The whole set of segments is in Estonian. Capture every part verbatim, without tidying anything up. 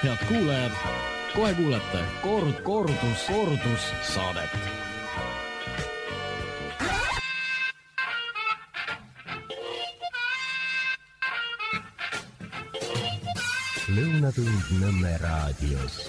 Head kuulajad, kohe kuulete Kord, kordus, kordus saadet. Lõunatund Nõmme raadios.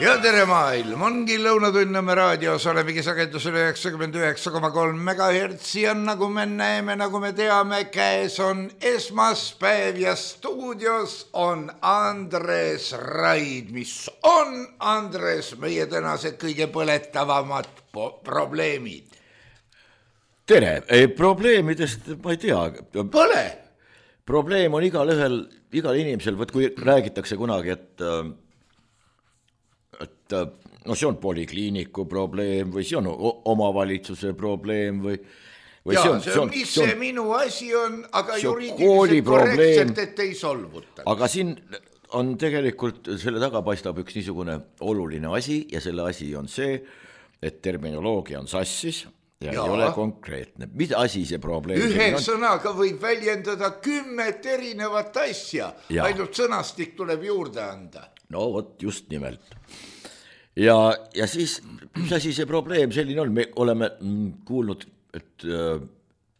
Ja tere maailm, ongi Lõunatund Nõmme raadios, olemegi sagedusel üheksakümmend üheksa koma kolm megahertsi ja nagu me näeme, nagu me teame, käes on esmaspäev ja stuudios on Andres Raid, mis on, Andres, meie tänase kõige põletavamad probleemid. Tere, ei, probleemidest ma ei tea. Pole! Probleem on igal ühel, igal inimesel, võt kui räägitakse kunagi, et, et no see on polikliiniku probleem või see on omavalitsuse probleem või, või ja, see on, see on, mis see, on, see minu asi on, aga juriidiliselt korrektselt, et ei solvuta. Aga siin on tegelikult, selle taga paistab üks niisugune oluline asi ja selle asi on see, et terminoloogia on sassis ja, ja ei ole konkreetne. Mida asi see probleem? Ühe sõnaga võib väljendada kümmet erinevat asja, ja. Ainult sõnastik tuleb juurde anda. No vot, just nimelt. Ja, ja siis, mis asi see probleem selline on? Me oleme kuulnud, et äh,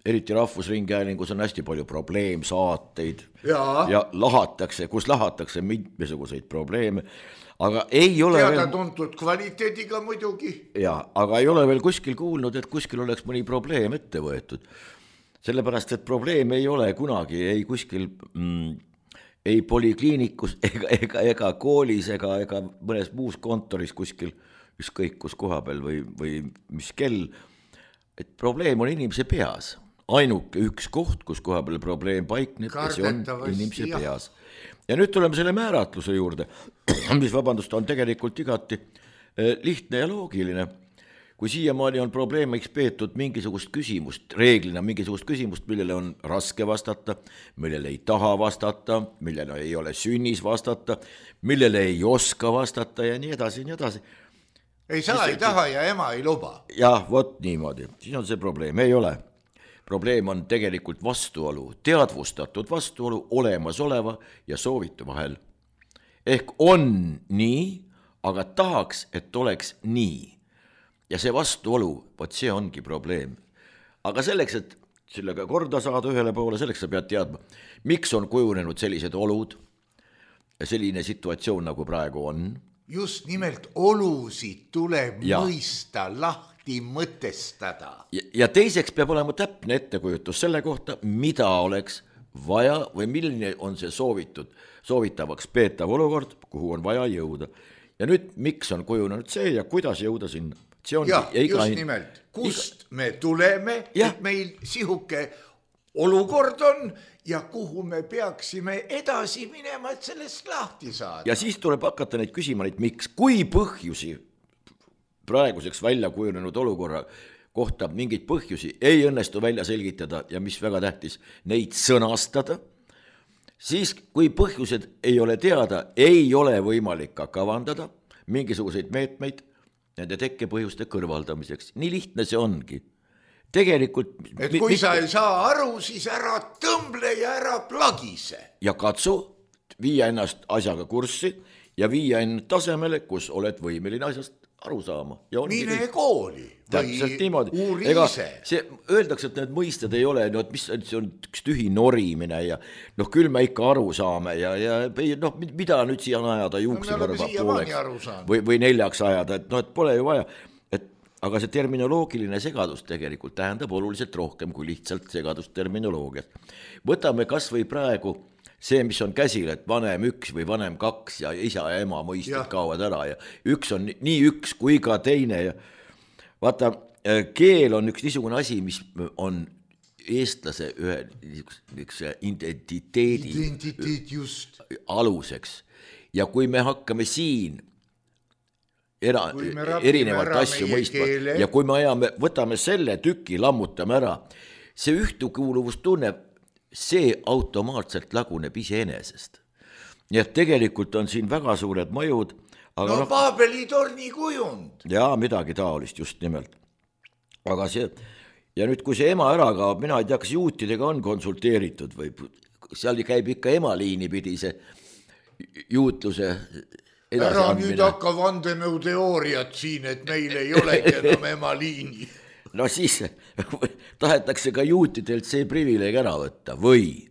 eriti Rahvusringhäälingus on hästi palju probleemsaateid ja, ja lahatakse, kus lahatakse mitmesuguseid probleeme. Aga ei ole teada veel... tuntud kvaliteediga muidugi. Ja, aga ei ole veel kuskil kuulnud, et kuskil oleks mõni probleem ette võetud. Sellepärast, et probleem ei ole kunagi ei kuskil, mm, ei polikliinikus ega, ega, ega koolis ega, ega mõnes muus kontoris kuskil, ükskõik kus koha peal või, või mis kell. Et probleem on inimese peas. Ainuke üks koht, kus koha peal probleem paikneb, see on inimese jah. Peas. Ja nüüd tuleme selle määratluse juurde, mis vabandust on tegelikult igati lihtne ja loogiline. Kui siiamaani on probleemiks peetud mingisugust küsimust, reeglina mingisugust küsimust, millele on raske vastata, millele ei taha vastata, millele ei ole sünnis vastata, millele ei oska vastata ja nii edasi, nii edasi. Ei saa, ei taha ja ema ei luba. Jah, vot niimoodi, siis on see probleem, ei ole. Probleem on tegelikult vastuolu, teadvustatud vastuolu olemasoleva ja soovitu vahel. Ehk on nii, aga tahaks, et oleks nii. Ja see vastuolu, vot see ongi probleem. Aga selleks, et sellega korda saada ühele poole, selleks sa pead teadma, miks on kujunenud sellised olud ja selline situatsioon, nagu praegu on. Just nimelt olusid tuleb ja. Mõista lahti. Mõtestada. Ja, ja teiseks peab olema täpne ettekujutus selle kohta, mida oleks vaja või milline on see soovitud, soovitavaks peetav olukord, kuhu on vaja jõuda. Ja nüüd, miks on kujunenud see ja kuidas jõuda sinna? See on, ja, just iga... nimelt, kust iga... me tuleme, ja. Et meil sihuke olukord on ja kuhu me peaksime edasi minema, et sellest lahti saada. Ja siis tuleb hakata neid küsima, neid miks, kui põhjusi praeguseks välja kujunenud olukorra kohta mingeid põhjusi ei õnnestu välja selgitada ja mis väga tähtis, neid sõnastada, siis kui põhjused ei ole teada, ei ole võimalik ka kavandada mingisuguseid meetmeid nende tekkepõhjuste kõrvaldamiseks. Nii lihtne see ongi. Tegelikult... Et kui mi- sa ei saa aru, siis ära tõmble ja ära plagise. Ja katsu viia ennast asjaga kurssi ja viia ennast tasemele, kus oled võimeline asjast aru saama. Mine kõik... kooli või uuri ise. See, öeldakse, et need mõisted ei ole, no, mis see on üks tühi norimine ja noh, küll me ikka aru saame ja, ja noh, mida nüüd siia ajada juuksekarva no, pooleks või, või neljaks ajada, et noh, et pole ju vaja. Et, aga see terminoloogiline segadus tegelikult tähendab oluliselt rohkem kui lihtsalt segadust terminoloogiat. Võtame kas või praegu see, mis on käsil, et vanem üks või vanem kaks ja isa ja ema mõisted ja. Kaovad ära ja üks on nii üks kui ka teine ja vaata, keel on üks niisugune asi, mis on eestlase ühe niisuguse identiteedi Identiteet just. Aluseks ja kui me hakkame siin era, erinevalt asju mõistma keele. Ja kui me ajame, võtame selle tüki, lammutame ära, see ühtekuuluvus tunneb see automaatselt laguneb iseenesest. Nii et tegelikult on siin väga suured mõjud. Aga no Paabeli torni kujund. Jaa, midagi taolist just nimelt. Aga see, ja nüüd kui see ema ära kaob, mina ei tea, kas juutidega on konsulteeritud või seal käib ikka emaliini pidi see juutluse ära edasiandmine. nüüd hakka vandenõuteooriat siin, et meil ei olegi enam emaliini. No siis tahetakse ka juutidelt see privileeg ära võtta või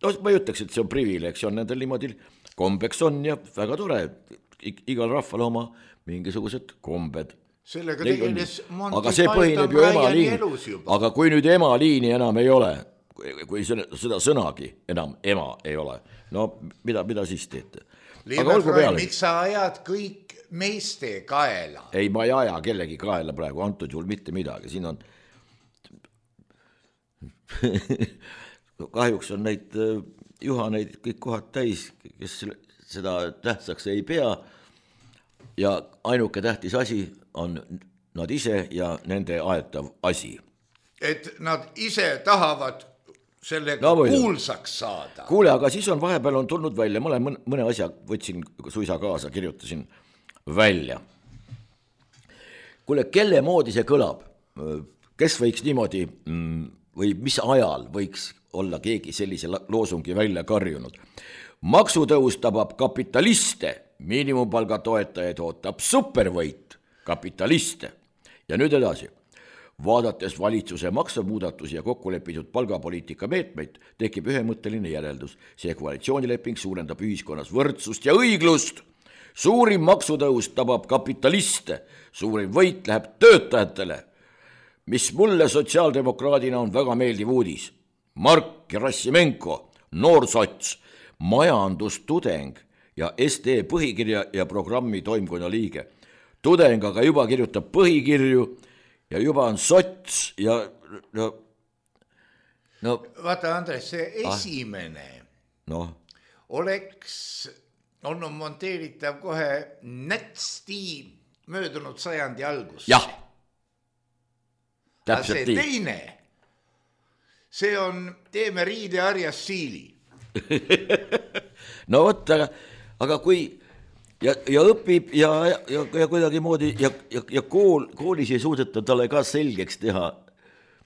no ma ei ütleks, et see on privileeg, see on nendel niimoodi kombeks on ja väga tore, igal rahval oma mingisugused kombed. Sellega tegeles Monty aga see põhineb ju emaliini, aga kui nüüd emaliini enam ei ole, kui seda sõnagi enam ema ei ole, no mida, mida siis teete? Liive, miks sa ajad kõik meeste kaela? Ei, ma ei aja kellegi kaela praegu, antud juhul mitte midagi, siin on kahjuks on neid juhaneid kõik kohad täis, kes seda tähtsaks ei pea ja ainuke tähtis asi on nad ise ja nende aetav asi. Et nad ise tahavad sellega no, kuulsaks saada. Kuule, aga siis on vahepeal on tulnud välja, ma olen mõne asja võtsin suisa kaasa, kirjutasin välja. Kuule, kelle moodi see kõlab? Kes võiks niimoodi või mis ajal võiks olla keegi sellise loosungi välja karjunud? Maksutõus tabab kapitaliste, miinimumpalga toetajaid ootab supervõit kapitaliste. Ja nüüd edasi. Vaadates valitsuse maksumuudatusi ja kokkulepitud palgapoliitika meetmeid, tekib ühemõtteline järeldus. See koalitsioonileping suurendab ühiskonnas võrdsust ja õiglust. Suurim maksutõus tabab kapitaliste, suurim võit läheb töötajatele, mis mulle sotsiaaldemokraadina on väga meeldiv uudis. Mark Gerassimenko, noorsots, majandustudeng ja S D põhikirja ja programmi toimkonna liige. Tudeng aga juba kirjutab põhikirju ja juba on sots ja no, no vaata Andres, see esimene ah, no. oleks olnud monteeritav kohe nätsti möödunud sajandi algus. Jah, täpselt nii. See teine, see on teeme riide harjas siili. no võtta, aga, aga kui ja, ja õpib ja, ja, ja kuidagi moodi ja, ja, ja kool, koolis ei suudeta talle ka selgeks teha,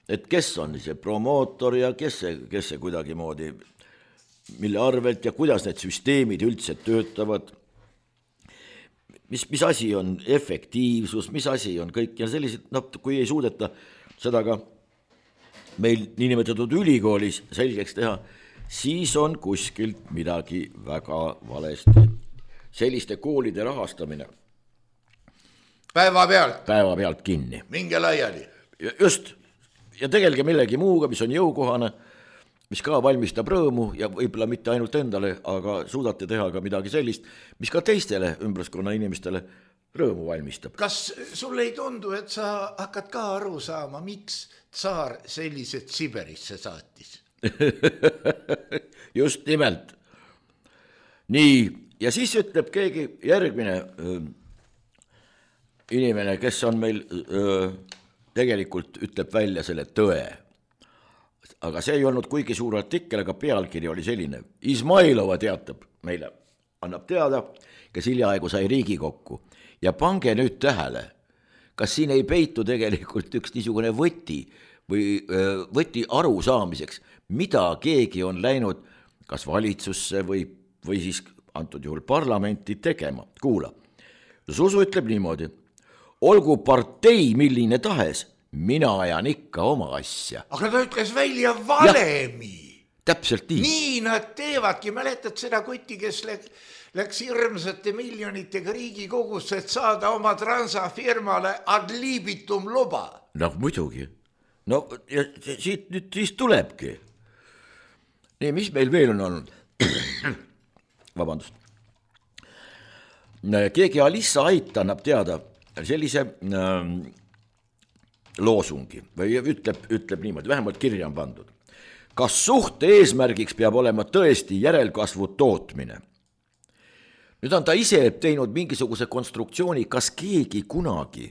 et kes on see promootor ja kes see, kes see kuidagi moodi, mille arvelt ja kuidas need süsteemid üldse töötavad, mis, mis asi on efektiivsus, mis asi on kõik ja sellised, no kui ei suudeta seda ka meil niinimetatud ülikoolis selgeks teha, siis on kuskilt midagi väga valesti. Selliste koolide rahastamine päeva pealt, päeva pealt kinni. Minge laiali. Just, ja tegelge millegi muuga, mis on jõukohane, mis ka valmistab rõõmu ja võib-olla mitte ainult endale, aga suudate teha ka midagi sellist, mis ka teistele ümbruskonna inimestele rõõmu valmistab. Kas sulle ei tundu, et sa hakkad ka aru saama, miks tsaar sellised Siberisse saatis? Just nimelt. Nii, ja siis ütleb keegi järgmine öö, inimene, kes on meil öö, tegelikult ütleb välja selle tõe. Aga see ei olnud kuigi suur artikkel, aga pealkiri oli selline. Izmailova teatab meile, annab teada, kes hiljaaegu sai Riigikokku. Ja pange nüüd tähele, kas siin ei peitu tegelikult üks niisugune võti või öö, võti aru saamiseks, mida keegi on läinud kas valitsusse või, või siis antud juhul parlamenti tegema. Kuula, Susu ütleb niimoodi, olgu partei milline tahes, mina ajan ikka oma asja. Aga ta ütles välja valemi. Ja, täpselt nii. Nii nad teevadki, mäletad seda kotti, kes läks, läks hirmsate miljonitega Riigikogusse, et saada oma transafirmale ad libitum luba. No muidugi. No ja siit nüüd siis tulebki. Nii, mis meil veel on olnud? Vabandust. Keegi Alissa Ait annab teada sellise äh, loosungi või ütleb, ütleb niimoodi, vähemalt kirja on pandud. Kas suhte eesmärgiks peab olema tõesti järelkasvu tootmine? Nüüd on ta ise teinud mingisuguse konstruktsiooni, kas keegi kunagi,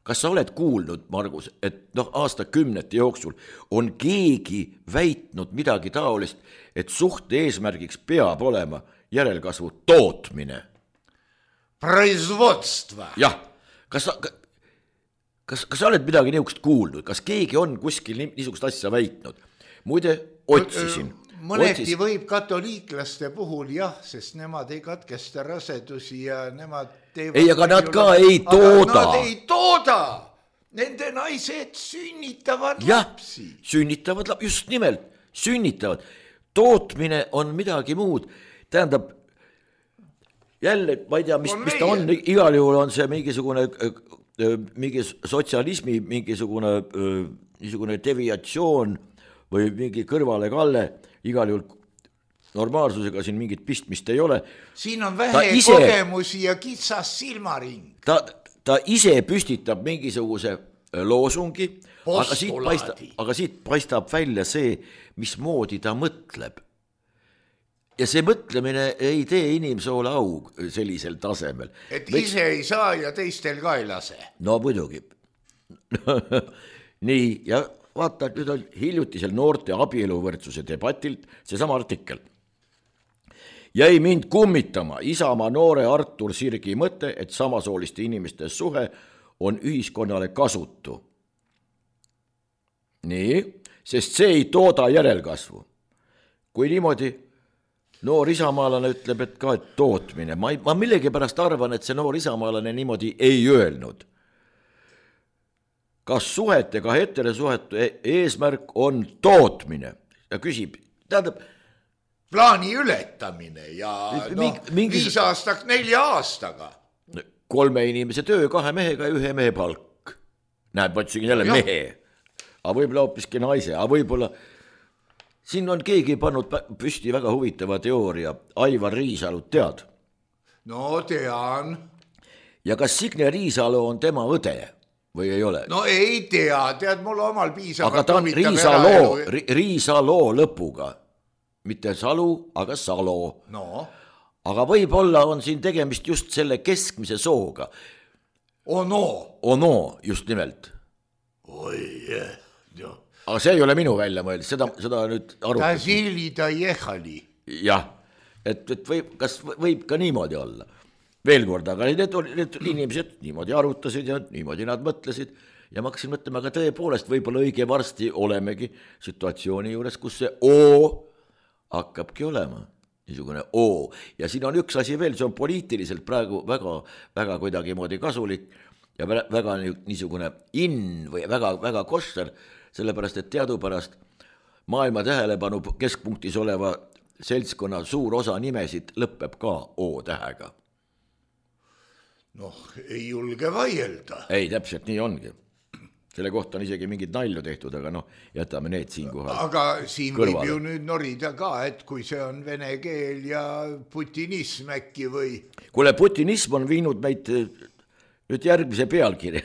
kas sa oled kuulnud, Margus, et noh, aastakümnete jooksul on keegi väitnud midagi taolist, et suhte eesmärgiks peab olema järelkasvu tootmine. Производство. Jah, kas, kas, kas sa oled midagi niisugust kuulnud, kas keegi on kuskil niisugust asja väitnud? Muide, otsisin. mõneti otsis... võib katoliiklaste puhul jah, sest nemad ei katkesta rasedusi ja nemad teevad... Ei, aga nad ka ei tooda. Nad ei tooda. Nende naised sünnitavad jah, lapsi. Sünnitavad lapsi, just nimelt, sünnitavad. Tootmine on midagi muud. Tähendab, jälle, ma ei tea, mis, mis ta on, igal juhul on see mingisugune, mingi sotsialismi, mingisugune niisugune deviatsioon või mingi kõrvale kalle, igal juhul normaalsusega siin mingit pistmist ei ole. Siin on vähe ise, kogemusi ja kitsas silmaring. Ta, ta ise püstitab mingisuguse loosungi, aga siit, paistab, aga siit paistab välja see, mismoodi ta mõtleb. Ja see mõtlemine ei tee inimsoole au sellisel tasemel. Et Võiks... ise ei saa ja teistel ka ei lase. No muidugi. Nii, ja vaata, nüüd on hiljutisel noorte abieluvõrdsuse debatilt seesama artikkel. Jäi mind kummitama Isamaa noore Artur Sirgi mõte, et samasooliste inimeste suhe on ühiskonnale kasutu. Nii, sest see ei tooda järelkasvu. Kui niimoodi noor isamaalane ütleb, et ka et tootmine, ma, ma millegi pärast arvan, et see noor isamaalane niimoodi ei öelnud. Kas suhetega heterosuhete eesmärk on tootmine? Ja küsib, tähendab, plaani ületamine ja Ming, no, mingis... viis aastak nelja aastaga. Kolme inimese töö, kahe mehega ja ühe mehe palk. Näed, ma ütlesin jälle no, mehe. Aga võib-olla hoopiski naise, aga võib-olla siin on keegi pannud püsti väga huvitava teooria. Aivar Riisalut tead? No tean. Ja kas Signe Riisalu on tema õde või ei ole? No ei tea, tead mul omal piisavalt. Aga ta on Riisaloo, Riisaloo lõpuga. Mitte Salu, aga Salo. No. Aga võib-olla on siin tegemist just selle keskmise sooga. Ono. Ono, just nimelt. Oi, jah. Aga see ei ole minu välja mõeld, seda, seda nüüd arutati. Ta zili ta jehali. Jah, et, et võib, kas võib ka niimoodi olla. Veel kord, aga need, need inimesed niimoodi arutasid ja niimoodi nad mõtlesid ja ma hakkasin mõtlema, aga tõepoolest võib-olla õige varsti olemegi situatsiooni juures, kus see O hakkabki olema, niisugune O. Ja siin on üks asi veel, see on poliitiliselt praegu väga, väga kuidagi moodi kasulik ja väga niisugune in või väga, väga košter, sellepärast, et teadupärast maailma tähelepanu keskpunktis oleva seltskonna suur osa nimesid lõpeb ka O tähega. Noh, ei julge vaielda. Ei, täpselt nii ongi. Selle kohta on isegi mingid nalju tehtud, aga noh, jätame need siin kohal. Aga siin kõrvale. Võib ju nüüd norida ka, et kui see on vene keel ja putinism äkki või... Kuule, putinism on viinud meid nüüd järgmise pealkirja.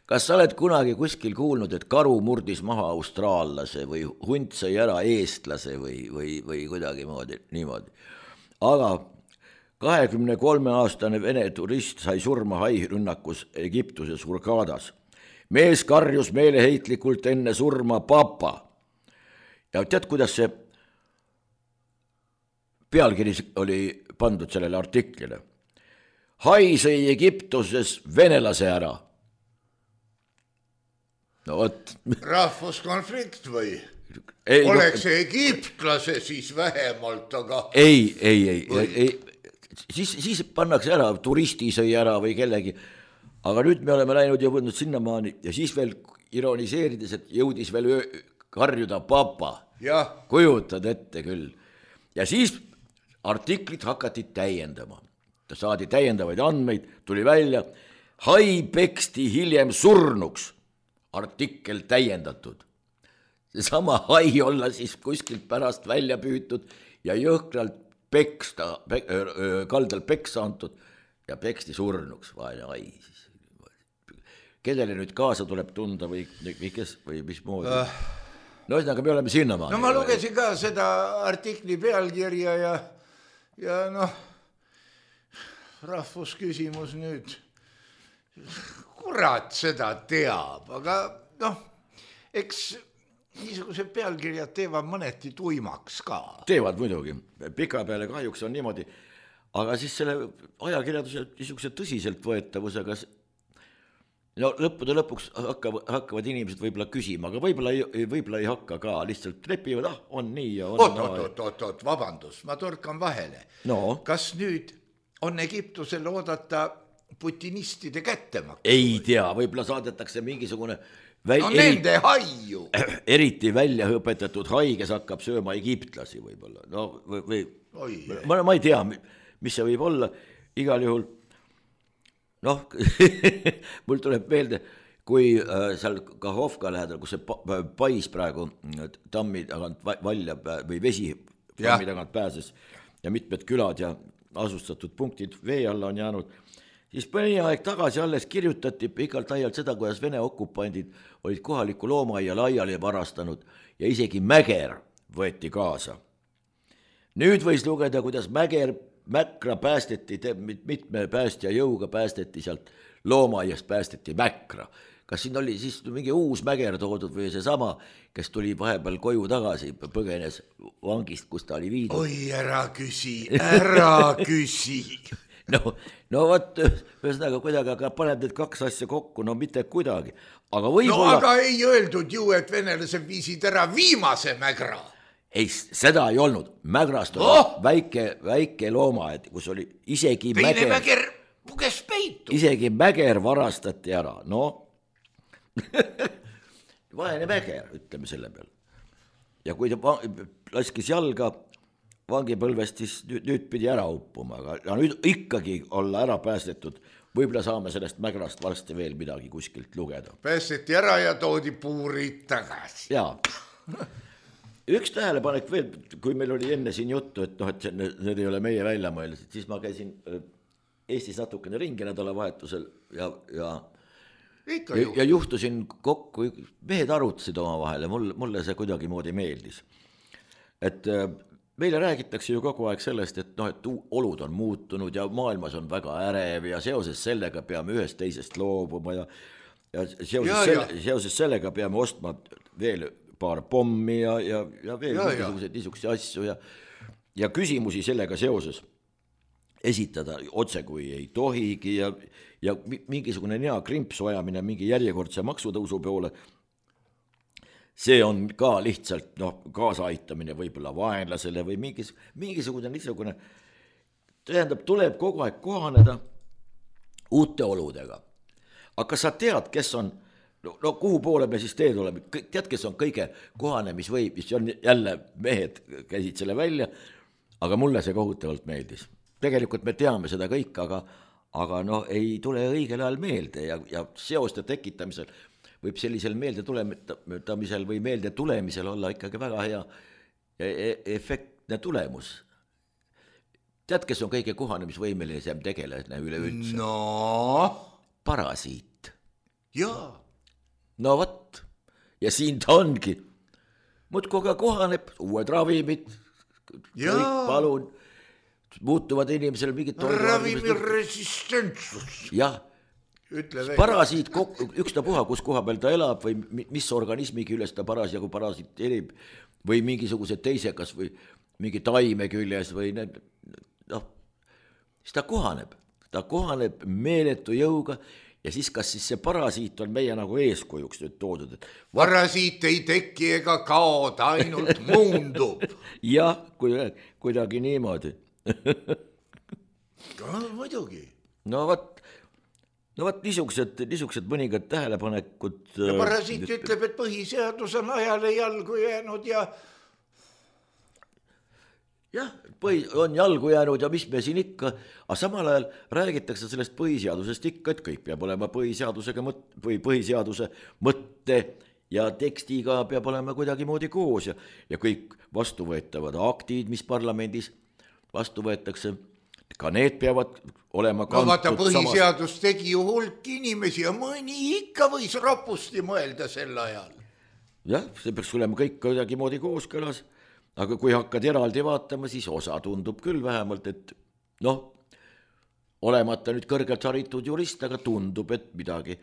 Kas sa oled kunagi kuskil kuulnud, et karu murdis maha austraallase või hunt sai ära eestlase või, või, või kuidagi moodi, niimoodi. Aga kahekümne kolme aastane vene turist sai surma hairünnakus Egiptuses Hurgadas. Mees karjus meeleheitlikult enne surma papa. Ja tead, kuidas see pealkiri oli pandud sellele artiklile? Hai sai Egiptuses venelase ära. No võt. Rahvuskonflikt või? Ei, oleks no, egiptlase siis vähemalt, aga... Ei, ei, ei, või... ei. Siis, siis pannakse ära, turisti sõi ära või kellegi, aga nüüd me oleme läinud ja võtnud sinnamaani ja siis veel ironiseerides, et jõudis veel öö, karjuda papa. Ja. Kujutad ette küll. Ja siis artiklit hakati täiendama. Ta saadi täiendavaid andmeid, tuli välja, hai peksti hiljem surnuks, artikkel täiendatud. Seesama hai olla siis kuskilt pärast välja püütud ja jõhkralt peksta, pek, kaldal peksa antud ja peksti surnuks, vaene ai. Kedele nüüd kaasa tuleb tunda või, või, kes, või mis moodi? Uh, no ühesõnaga, me oleme sinnamaani. No ma lugesin ka seda artikli pealkirja ja, ja noh, rahvusküsimus nüüd, kurat seda teab, aga noh, eks... niisugused pealkirjad teevad mõneti tuimaks ka. Teevad muidugi, pika peale kahjuks on niimoodi, aga siis selle ajakirjaduse niisuguse tõsiselt võetavusega no lõppude lõpuks hakkavad, hakkavad inimesed võib-olla küsima, aga võib-olla ei, võib-olla ei hakka ka, lihtsalt lepivad, ah, on nii ja on oot, oot, oot, oot, oot, vabandus, ma torkan vahele no. Kas nüüd on Egiptusel oodata putinistide kättemaksu? Ei tea, võib-olla saadetakse mingisugune väl... no nende haiu eriti välja õpetatud hai, kes hakkab sööma egiptlasi võib-olla, no või, või ma, ma ei tea, mis see võib olla, igal juhul noh, mul tuleb meelde, kui äh, seal Kahovka lähedal, kus see pa, pais praegu tammi tagant valja või vesi tammi tagant pääses ja mitmed külad ja asustatud punktid vee alla on jäänud, siis mõni aeg tagasi alles kirjutati pikalt aialt seda, kuidas Vene okupandid olid kohaliku loomaia laiali varastanud ja isegi Mäger võeti kaasa. Nüüd võis lugeda, kuidas Mäger Mäkra päästeti, mitme päästja jõuga päästeti sealt loomaaiast päästeti Mäkra. Kas siin oli siis mingi uus Mäger toodud või see sama, kes tuli vahepeal koju tagasi, põgenes vangist, kus ta oli viidud? Oi, ära küsi, ära küsi. no, no võt, ühesõnaga kuidagi, aga paneb need kaks asja kokku, no mitte kuidagi. Aga võib-olla... No aga ei öeldud ju, et venelased viisid ära viimase Mägra. Ei, seda ei olnud. Mägrast oli oh! väike, väike looma, et kus oli isegi Teine Mäger, Mäger puges peitu. Isegi Mäger varastati ära, no. Vaene Mäger, ütleme selle peal. Ja kui ta laskis jalga vangipõlvest, siis nüüd, nüüd pidi ära uppuma, aga nüüd ikkagi olla ära päästetud. Võib-olla saame sellest Mägrast varsti veel midagi kuskilt lugeda. Päästeti ära ja toodi puurid tagasi. Jaa. Üks tähelepanek veel, kui meil oli enne siin juttu, et noh, et need ei ole meie välja mõeldes, et siis ma käisin Eestis natukene ringi nädalavahetusel ja, ja, ja, ja juhtusin kokku, mehed arutasid oma vahel ja mulle, mulle see kuidagi moodi meeldis. Et meile räägitakse ju kogu aeg sellest, et noh, et olud on muutunud ja maailmas on väga ärev ja seoses sellega peame ühest teisest loobuma ja, ja, seoses, ja, selle, ja seoses sellega peame ostma veel paar pommi ja, ja, ja veel mingisugused niisuguse asju ja, ja küsimusi sellega seoses esitada otse kui ei tohigi ja, ja mingisugune nea krimpsu ajamine mingi järjekordse maksutõusu poole, see on ka lihtsalt noh, kaasaaitamine võib-olla vaenlasele või mingis, mingisugune niisugune, tähendab, tuleb kogu aeg kohaneda uute oludega. Aga kas sa tead, kes on No, no kuhu poole me siis teed oleme, tead, kes on kõige kohanemisvõim, mis on jälle mehed käisid selle välja, aga mulle see kohutavalt meeldis. Tegelikult me teame seda kõik, aga, aga no ei tule õigel ajal meelde ja, ja seoste tekitamisel võib sellisel meelde tuletamisel või meelde tulemisel olla ikkagi väga hea efektne tulemus. Tead, kes on kõige kohanemisvõimelisem tegelane üleüldse? No? Parasiit. Jaa. No võt, ja siin ta ongi. Mut koga kohaneb, uued ravimid, kõik palun, muutuvad inimesel mingid ravimiresistentsus. Jah, parasiit, ükstapuha, kus koha peal ta elab või mis organismigi üles ta parasjagu parasiit elib või mingisugused teise, kas või mingi taime küljes või need, noh, siis ta kohaneb, ta kohaneb meeletu jõuga. Ja siis kas siis see parasiit on meie nagu eeskujuks nüüd toodud? Et... Parasiit ei teki ega kao, ta ainult muundub. Jah, kuidagi niimoodi. No, muidugi. No võt, no võt niisugused, niisugused mõningad tähelepanekud. Ja parasiit ütleb, et põhiseadus on ajale jalgu jäänud ja... Jah, põhi, on jalgu jäänud ja mis me siin ikka, aga samal ajal räägitakse sellest põhiseadusest ikka, et kõik peab olema põhiseadusega mõt, või põhiseaduse mõtte ja tekstiga peab olema kuidagi moodi koos ja, ja kõik vastuvõetavad aktid, mis parlamendis vastu võetakse, ka need peavad olema kantud. No vaata, põhiseadus samas... tegi ju hulk inimesi ja mõni ikka võis rapusti mõelda sel ajal. Jah, see peaks olema kõik kuidagi moodi kooskõlas. Aga kui hakkad eraldi vaatama, siis osa tundub küll vähemalt, et noh, olemata nüüd kõrgelt haritud jurist, aga tundub, et midagi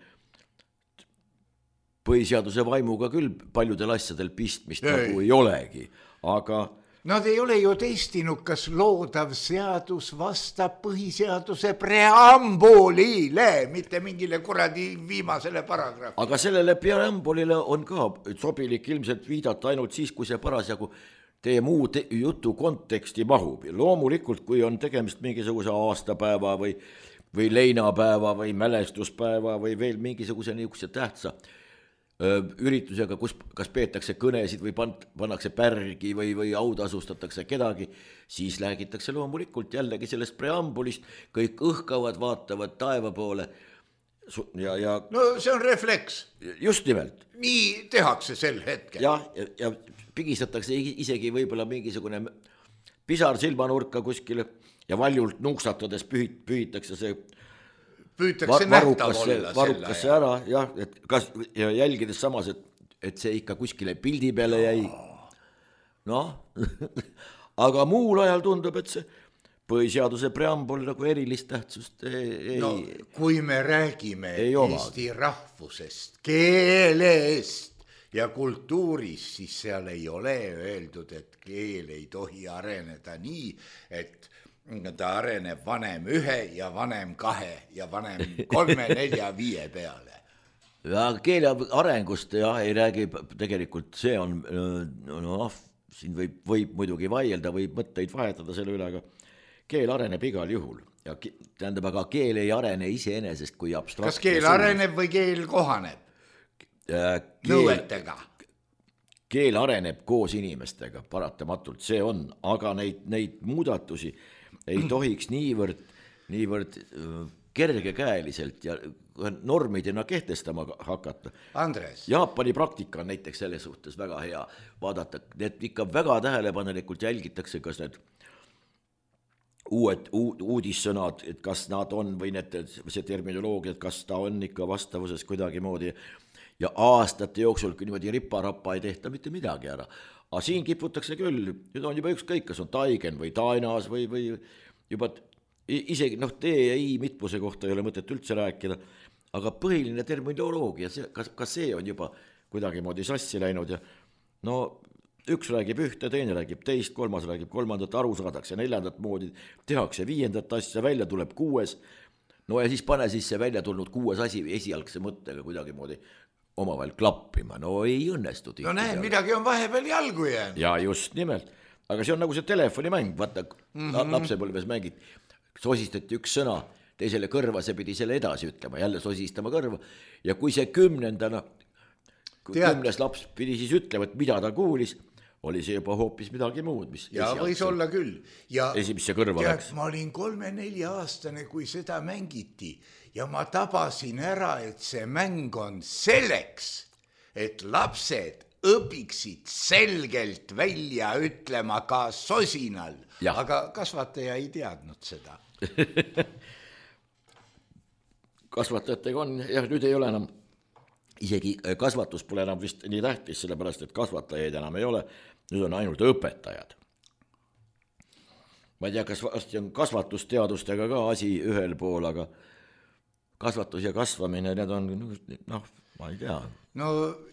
põhiseaduse vaimuga küll paljudel asjadel pistmist ei. Nagu ei olegi. Aga, Nad ei ole ju testinud, kas loodav seadus vastab põhiseaduse preambulile, mitte mingile kuradi viimasele paragrahvi. Aga sellele preambulile on ka sobilik ilmselt viidata ainult siis, kui see parasjagu teie muu te jutu konteksti mahub. Loomulikult, kui on tegemist mingisuguse aastapäeva või, või leinapäeva või mälestuspäeva või veel mingisuguse niisuguse tähtsa üritusega, kus kas peetakse kõnesid või pannakse pärgi või, või autasustatakse kedagi, siis räägitakse loomulikult jällegi sellest preambulist, kõik õhkavad, vaatavad taeva poole. Ja, ja, no see on refleks. Just nimelt. Nii tehakse sel hetkel. Ja, ja, ja pigistatakse isegi võib-olla mingisugune pisar silmanurka kuskile ja valjult nuksatades pühit, pühitakse see püütakse nähtav olla varukasse ära, jah, et kas, ja jälgides samas, et, et see ikka kuskile pildi peale jäi. Noh, aga muul ajal tundub, et see põhiseaduse preambul nagu erilist tähtsust ei... No, kui me räägime ei Eesti oma. Rahvusest, keelest ja kultuurist, siis seal ei ole öeldud, et keel ei tohi areneda nii, et ta areneb vanem ühe ja vanem kahe ja vanem kolme, nelja, viie peale. Ja keele arengust ja ei räägi tegelikult, see on, no, siin võib, võib muidugi vaielda, võib mõtteid vahetada selle üle, aga keel areneb igal juhul. Ja tähendab, aga keel ei arene iseenesest kui abstraktne. Kas keel areneb või keel kohaneb? Keel, nõuetega. Keel areneb koos inimestega, paratamatult see on, aga neid, neid muudatusi ei tohiks niivõrd, niivõrd kergekäeliselt ja normidena kehtestama hakata. Andres. Jaapani praktika on näiteks selles suhtes väga hea vaadata. Need ikka väga tähelepanelikult jälgitakse, kas need uued uudissõnad, et kas nad on või need, see terminoloogia, et kas ta on ikka vastavuses kuidagi moodi ja aastate jooksul niimoodi ripa-rappa ei tehta mitte midagi ära. Aga siin kiputakse küll, nüüd on juba ükskõik, kas on taigen või tainas või, või juba isegi noh, tee ja i mitmuse kohta ei ole mõtet üldse rääkida, aga põhiline terminoloogia, kas, kas see on juba kuidagi moodi sassi läinud ja no üks räägib ühte, teine räägib teist, kolmas räägib kolmandat, aru saadakse neljandat moodi, tehakse viiendat asja, välja tuleb kuues, no ja siis pane siis see välja tulnud kuues asi esialgse mõttega kuidagi moodi omavahel klappima, no ei õnnestu. No näed, midagi on vahepeal jalgu jäänud. Ja just nimelt, aga see on nagu see telefonimäng, vaata mm -hmm. lapsepõlves mängid, sosistati üks sõna, teisele kõrva, see pidi selle edasi ütlema, jälle sosistama kõrva ja kui see kümnendana, kümnes laps pidi siis ütlema, et mida ta kuulis, oli see juba hoopis midagi muud, mis ja võis see, olla küll. Ja esimesse kõrva tead, läks. Ma olin kolme-nelja aastane, kui seda mängiti ja ma tabasin ära, et see mäng on selleks, et lapsed õpiksid selgelt välja ütlema ka sosinal, ja. Aga kasvataja ei teadnud seda. Kasvatajatega on, jah, nüüd ei ole enam, isegi kasvatus pole enam vist nii tähtis, sellepärast, et kasvatajaid enam ei ole, nüüd on ainult õpetajad. Ma ei tea, kas on kasvatusteadustega ka asi ühel pool, aga kasvatus ja kasvamine, need on, noh, ma ei tea. No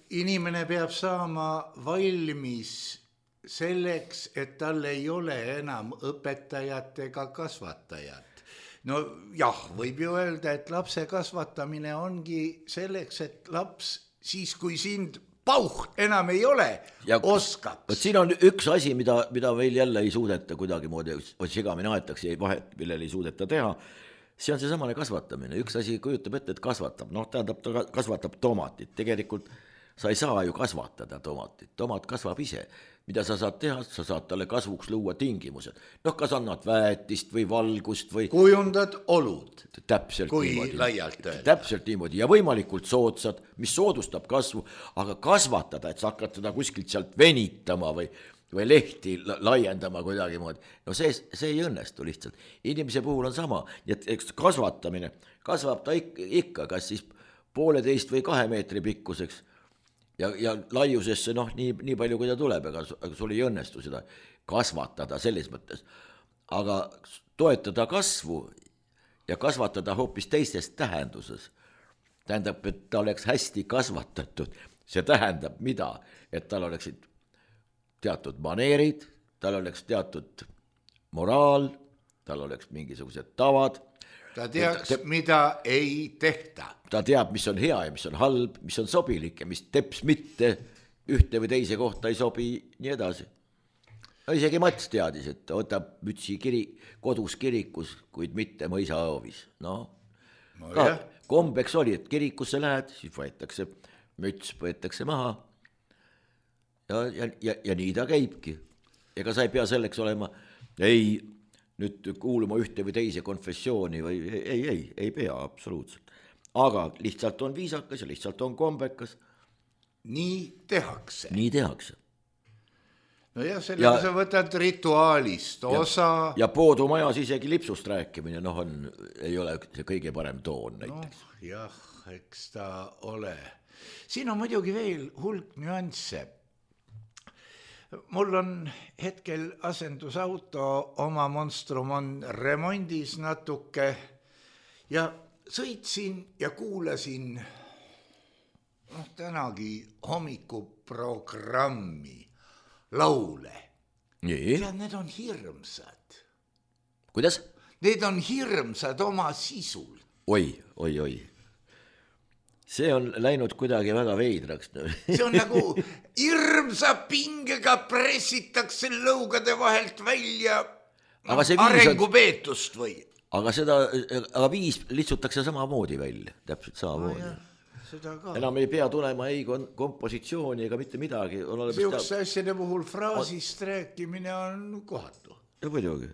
inimene peab saama valmis selleks, et tal ei ole enam õpetajat ega kasvatajat. No jah, võib ju öelda, et lapse kasvatamine ongi selleks, et laps siis, kui sind pauht enam ei ole, ja, oskaks. Siin on üks asi, mida, mida meil jälle ei suudeta kuidagi moodi, segamini aetakse ja vahet, millel ei suudeta teha. See on see samane kasvatamine. Üks asi kujutab ette, et kasvatab. Noh, tähendab, ta kasvatab tomatit. Tegelikult sa ei saa ju kasvatada tomatit. Tomat kasvab ise. Mida sa saad teha? Sa saad talle kasvuks luua tingimused. Noh, kas annad väetist või valgust või... Kujundad olud. Täpselt kui niimoodi. Laialt öelda. Täpselt niimoodi. Ja võimalikult soodsad, mis soodustab kasvu, aga kasvatada, et sa hakkad teda kuskilt sealt venitama või... või lehti laiendama kuidagi moodi. No see, see ei õnnestu lihtsalt. Inimese puhul on sama. Et kasvatamine, kasvab ta ikka, ikka kas siis pooleteist või kahe meetri pikkuseks ja, ja laiusesse noh, nii, nii palju kui ta tuleb, aga, aga sul ei õnnestu seda kasvatada selles mõttes. Aga toetada kasvu ja kasvatada hoopis teistes tähenduses. Tähendab, et ta oleks hästi kasvatatud. See tähendab mida? Et tal oleksid teatud maneerid, tal oleks teatud moraal, tal oleks mingisugused tavad. Ta teaks, te... mida ei tehta. Ta teab, mis on hea ja mis on halb, mis on sobilik ja mis teps mitte ühte või teise kohta ei sobi, nii edasi. No isegi Mats teadis, et ta võtab mütsi kiri, kodus kirikus, kuid mitte mõisahoovis. No, no ka jah. Kombeks oli, et kirikusse lähed, siis võetakse müts, võetakse maha ja, ja, ja, ja nii ta käibki. Ega sa ei pea selleks olema, ei nüüd kuuluma ühte või teise konfessiooni või ei, ei, ei, ei pea absoluutselt. Aga lihtsalt on viisakas ja lihtsalt on kombekas. Nii tehakse. Nii tehakse. No ja sellega ja, sa võtad rituaalist osa. Ja, ja poodumajas isegi lipsust rääkimine, noh on, ei ole see kõige parem toon näiteks. No, jah, eks ta ole. Siin on muidugi veel hulk nüansse. Mul on hetkel asendusauto, oma Monstrum on remondis natuke ja sõitsin ja kuulasin noh, tänagi hommikuprogrammi laule. Nii. Ja need on hirmsad. Kuidas? Need on hirmsad oma sisul. Oi, oi, oi. See on läinud kuidagi väga veidraks. See on nagu hirmsa pingega pressitakse lõugade vahelt välja no, arengupeetust või. Aga seda, aga viis litsutakse samamoodi välja, täpselt samamoodi. No, enam ei pea tulema ei kompositsiooni ega mitte midagi. Seukse asjade puhul fraasist on... rääkimine on kohatu. Ja muidugi.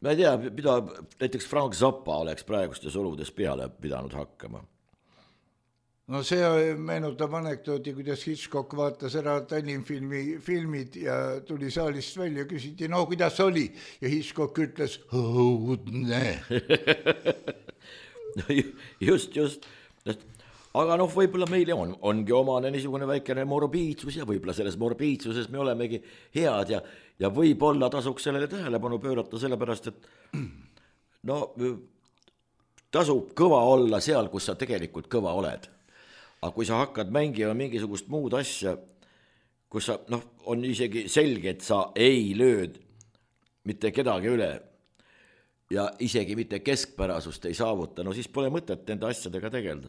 Ma ei tea, mida näiteks Frank Zappa oleks praegustes oludes peale pidanud hakkama. No see meenutab anekdooti, kuidas Hitchcock vaatas ära Tallinnfilmi filmid ja tuli saalist välja, küsiti, no kuidas oli? Ja Hitchcock ütles, õudne. Just, just. Aga noh, võib-olla meile on, ongi omane niisugune väikene morbiidsus ja võib-olla selles morbiidsuses me olemegi head ja, ja võib-olla tasuks sellele tähelepanu pöörata sellepärast, et no tasub kõva olla seal, kus sa tegelikult kõva oled. Aga kui sa hakkad mängima mingisugust muud asja, kus sa, noh, on isegi selge, et sa ei lööd mitte kedagi üle ja isegi mitte keskpärasust ei saavuta, no siis pole mõtet enda asjadega tegelda.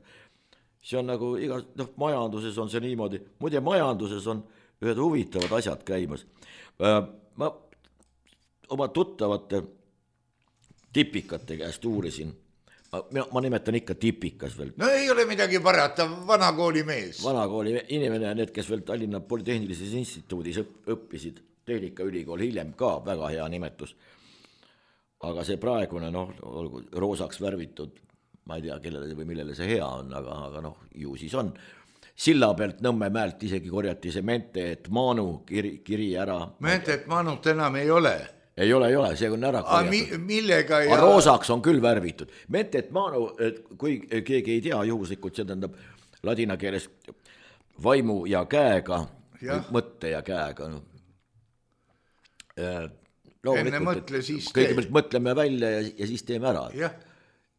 See on nagu iga, noh, majanduses on see niimoodi, muide majanduses on ühed huvitavad asjad käimas. Ma oma tuttavate tipikate käest uurisin, ma, ma nimetan ikka tipikas veel. No ei ole midagi parata, vanakooli mees. Vanakooli inimene, need, kes veel Tallinna Polütehnilises instituudis õppisid, Tehnikaülikool, hiljem ka väga hea nimetus. Aga see praegune, noh, roosaks värvitud, ma ei tea, kellele või millele see hea on, aga, aga noh, ju siis on. Silla pealt Nõmme mäelt isegi korjati see mente, et Maanu kiri, kiri ära. Mente, et Maanut enam ei ole. Ei ole, ei ole, see on ära korjatud. Mi, millega ja... A roosaks on küll värvitud. Mente, et Maanu, kui keegi ei tea juhuslikult, see tähendab ladina keeles vaimu ja käega, ja. Mõtte ja käega. No. Enne mõtle, siis tee. Kõigepealt mõtleme välja ja, ja siis teeme ära. Jah.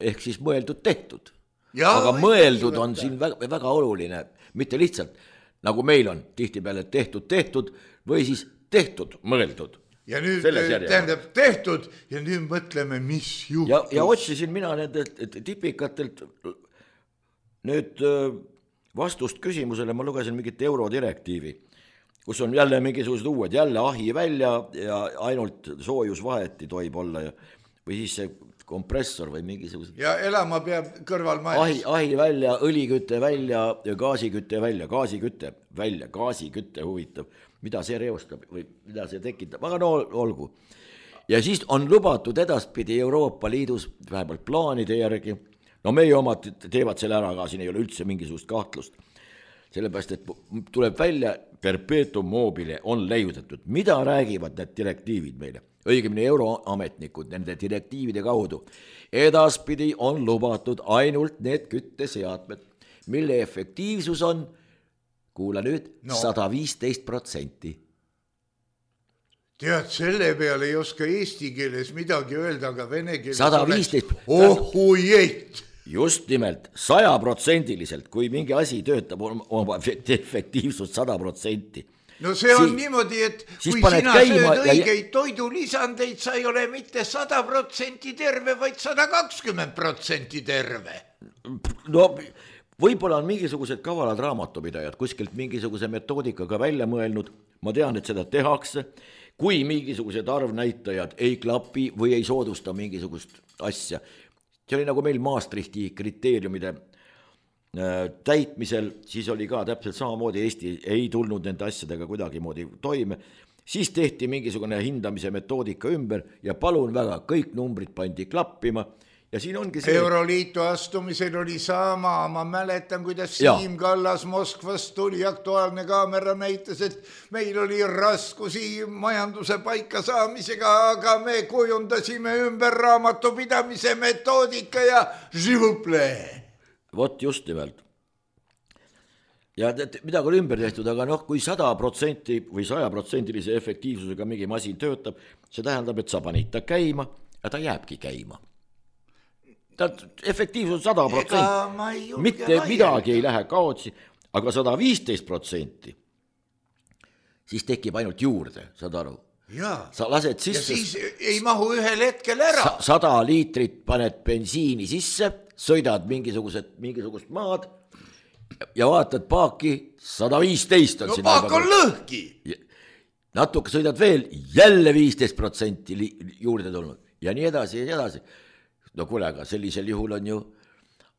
Ehk siis mõeldud tehtud. Ja, aga mõeldud on siin väga, väga oluline, mitte lihtsalt nagu meil on tihtipeale tehtud tehtud või siis tehtud mõeldud. Ja nüüd tähendab tehtud ja nüüd mõtleme, mis juhtus. Ja, ja otsisin mina nendelt tipikatelt nüüd vastust küsimusele, ma lugesin mingit eurodirektiivi, kus on jälle mingisugused uued, jälle ahi välja ja ainult soojusvaheti tohib olla ja, või siis see kompressor või mingisugused. Ja elama peab kõrval majas. Ahi, ahi välja, õlikütte välja ja gaasikütte välja, gaasikütte välja, gaasikütte huvitav. Mida see reostab või mida see tekitab, aga no olgu. Ja siis on lubatud edaspidi Euroopa Liidus vähemalt plaanide järgi, no meie omad teevad selle ära, aga siin ei ole üldse mingisugust kahtlust. Sellepärast, et tuleb välja perpetuum mobile on leiutatud. Mida räägivad need direktiivid meile? Õigemini euroametnikud nende direktiivide kaudu. Edaspidi on lubatud ainult need kütteseadmed, mille efektiivsus on, kuula nüüd, no. sada viisteist protsenti. Tead, selle peale ei oska eesti keeles midagi öelda, aga vene keeles sada viisteist ohujeet. Just nimelt, saja protsendiliselt, kui mingi asi töötab oma efektiivsust sada protsenti. no see on si niimoodi, et kui sina sööd õigeid ja... toidulisandeid, sa ei ole mitte sada protsenti terve, vaid sada kakskümmend protsenti terve. No võib-olla on mingisugused kavalad raamatupidajad kuskilt mingisuguse metoodikaga välja mõelnud, ma tean, et seda tehakse, kui mingisugused arvnäitajad ei klapi või ei soodusta mingisugust asja. See oli nagu meil Maastrichti kriteeriumide täitmisel, siis oli ka täpselt samamoodi, Eesti ei tulnud nende asjadega kuidagi moodi toime, siis tehti mingisugune hindamise metoodika ümber ja palun väga, kõik numbrid pandi klappima ja siin ongi see... Euroliitu astumisel oli sama, ma mäletan, kuidas Siim Kallas Moskvast tuli, Aktuaalne Kaamera näitas, et meil oli raskusi majanduse paika saamisega, aga me kujundasime ümber raamatupidamise metoodika ja živuple. Vot just nimelt. Ja midagi oli ümber tehtud, aga noh, kui sada protsenti või saja protsendilise efektiivsusega mingi masin töötab, see tähendab, et sa panid ta käima ja ta jääbki käima. Ta efektiivsus sada protsenti, mitte midagi ei lähe kaotsi, aga sada viisteist protsenti, siis tekib ainult juurde, saad aru? Ja. Sa lased sisse, ja siis ei mahu ühel hetkel ära. Sada liitrit paned bensiini sisse, sõidad mingisugused, mingisugust maad ja vaatad paaki, sada viisteist on no paak on lõhki. Natuke sõidad veel, jälle viisteist protsenti juurde tulnud ja nii edasi ja nii edasi. No kuule, aga sellisel juhul on ju,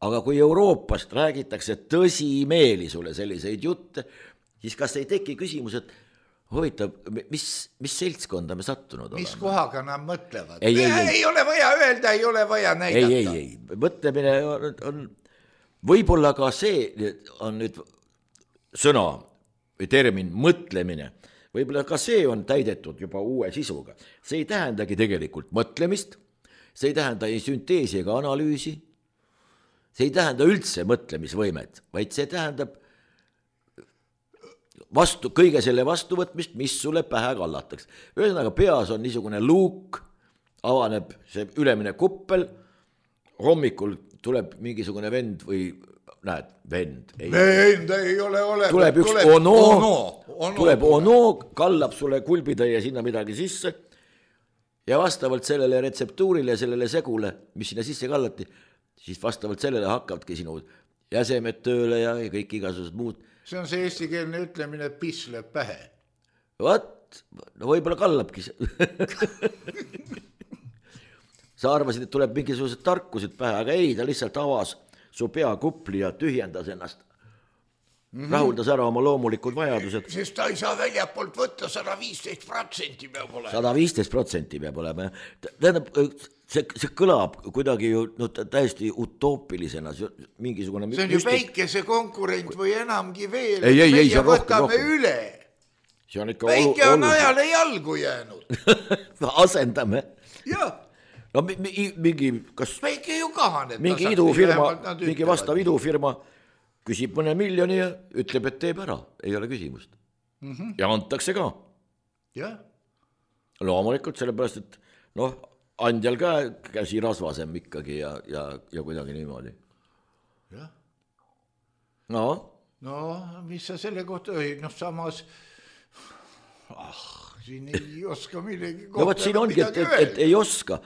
aga kui Euroopast räägitakse tõsimeeli sulle selliseid jutte, siis kas ei teki küsimus, et huvitav, mis, mis seltskonda me sattunud oleme? Mis kohaga nad mõtlevad? Ei, ei, ei. ei ole vaja öelda, ei ole vaja näidata. Ei, ei, ei. Mõtlemine on, on võib-olla ka see on nüüd sõna või termin mõtlemine. Võib-olla ka see on täidetud juba uue sisuga. See ei tähendagi tegelikult mõtlemist, see ei tähenda ei sünteesi ega analüüsi, see ei tähenda üldse mõtlemisvõimet, vaid see tähendab vastu, kõige selle vastuvõtmist, mis sulle pähe kallatakse. Ühesõnaga peas on niisugune luuk, avaneb see ülemine kuppel, hommikul tuleb mingisugune vend või näed, vend. Ei, vend ei ole olemas. Tuleb üks tuleb ono, ono, ono, tuleb ono, kallab sulle kulbitäie sinna midagi sisse ja vastavalt sellele retseptuurile ja sellele segule, mis sinna sisse kallati, siis vastavalt sellele hakkavadki sinu jäsemed tööle ja kõik igasugused muud. See on see eestikeelne ütlemine, et piss lööb pähe. Vat, no võib-olla kallabki. Sa arvasid, et tuleb mingisugused tarkused pähe, aga ei, ta lihtsalt avas su peakupli ja tühjendas ennast. Mm-hmm. Rahuldas ära oma loomulikud vajadused. Sest ta ei saa väljapoolt võtta, sada viisteist protsenti peab olema. sada viisteist protsenti peab olema. Tähendab, see, see kõlab kuidagi ju no, täiesti utoopilisena. Mingisugune see on ju väikese konkurent või enamgi veel. Ei, ei, ei, see on rohkem, rohkem. Üle. See on ikka väike on ajale jalgu jäänud. Asendame. Jah. No mingi, kas väike ju kahaneb. Mingi idufirma, mingi vastav idufirma küsib mõne miljoni ja ütleb, et teeb ära. Ei ole küsimust. Mm-hmm. Ja antakse ka. Jah. Loomulikult sellepärast, et noh, andjal ka käsi rasvasem ikkagi ja, ja, ja kuidagi niimoodi. Jah. No? No, mis sa selle kohta, noh samas, ah, siin ei oska millegi kohta. No võt siin ongi, et, et, et ei oska,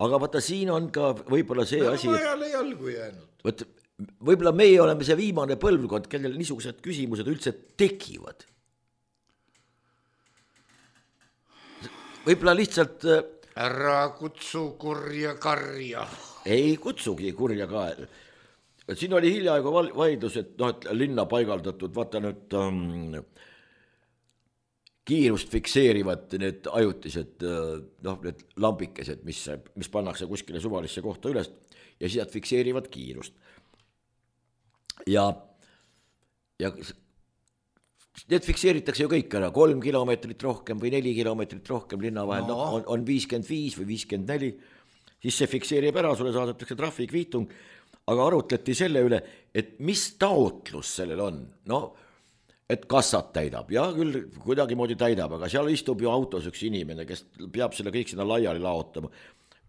aga vaata siin on ka võib-olla see no, asi. No ajale jalgu jäänud. Võt, võib-olla meie oleme see viimane põlvkond, kellel niisugused küsimused üldse tekivad. Võib-olla lihtsalt... Ära kutsu kurja karja. Ei kutsugi kurja ka. Siin oli hiljaaegu vaidlus, et, no, et linna paigaldatud, vaata nüüd um, kiirust fikseerivad need ajutised noh, need lambikesed, mis, mis pannakse kuskile suvalisse kohta üles ja siis nad fikseerivad kiirust. Ja, ja need fikseeritakse ju kõik ära, kolm kilomeetrit rohkem või neli kilomeetrit rohkem linna vahel, no. on, on viiskümmend viis või viiskümmend neli, siis see fikseerib ära, sulle saadetakse trahvikviitung, aga arutleti selle üle, et mis taotlus sellel on, no, et kassat täidab, ja küll kuidagi moodi täidab, aga seal istub ju autos üks inimene, kes peab selle kõik sinna laiali laotama,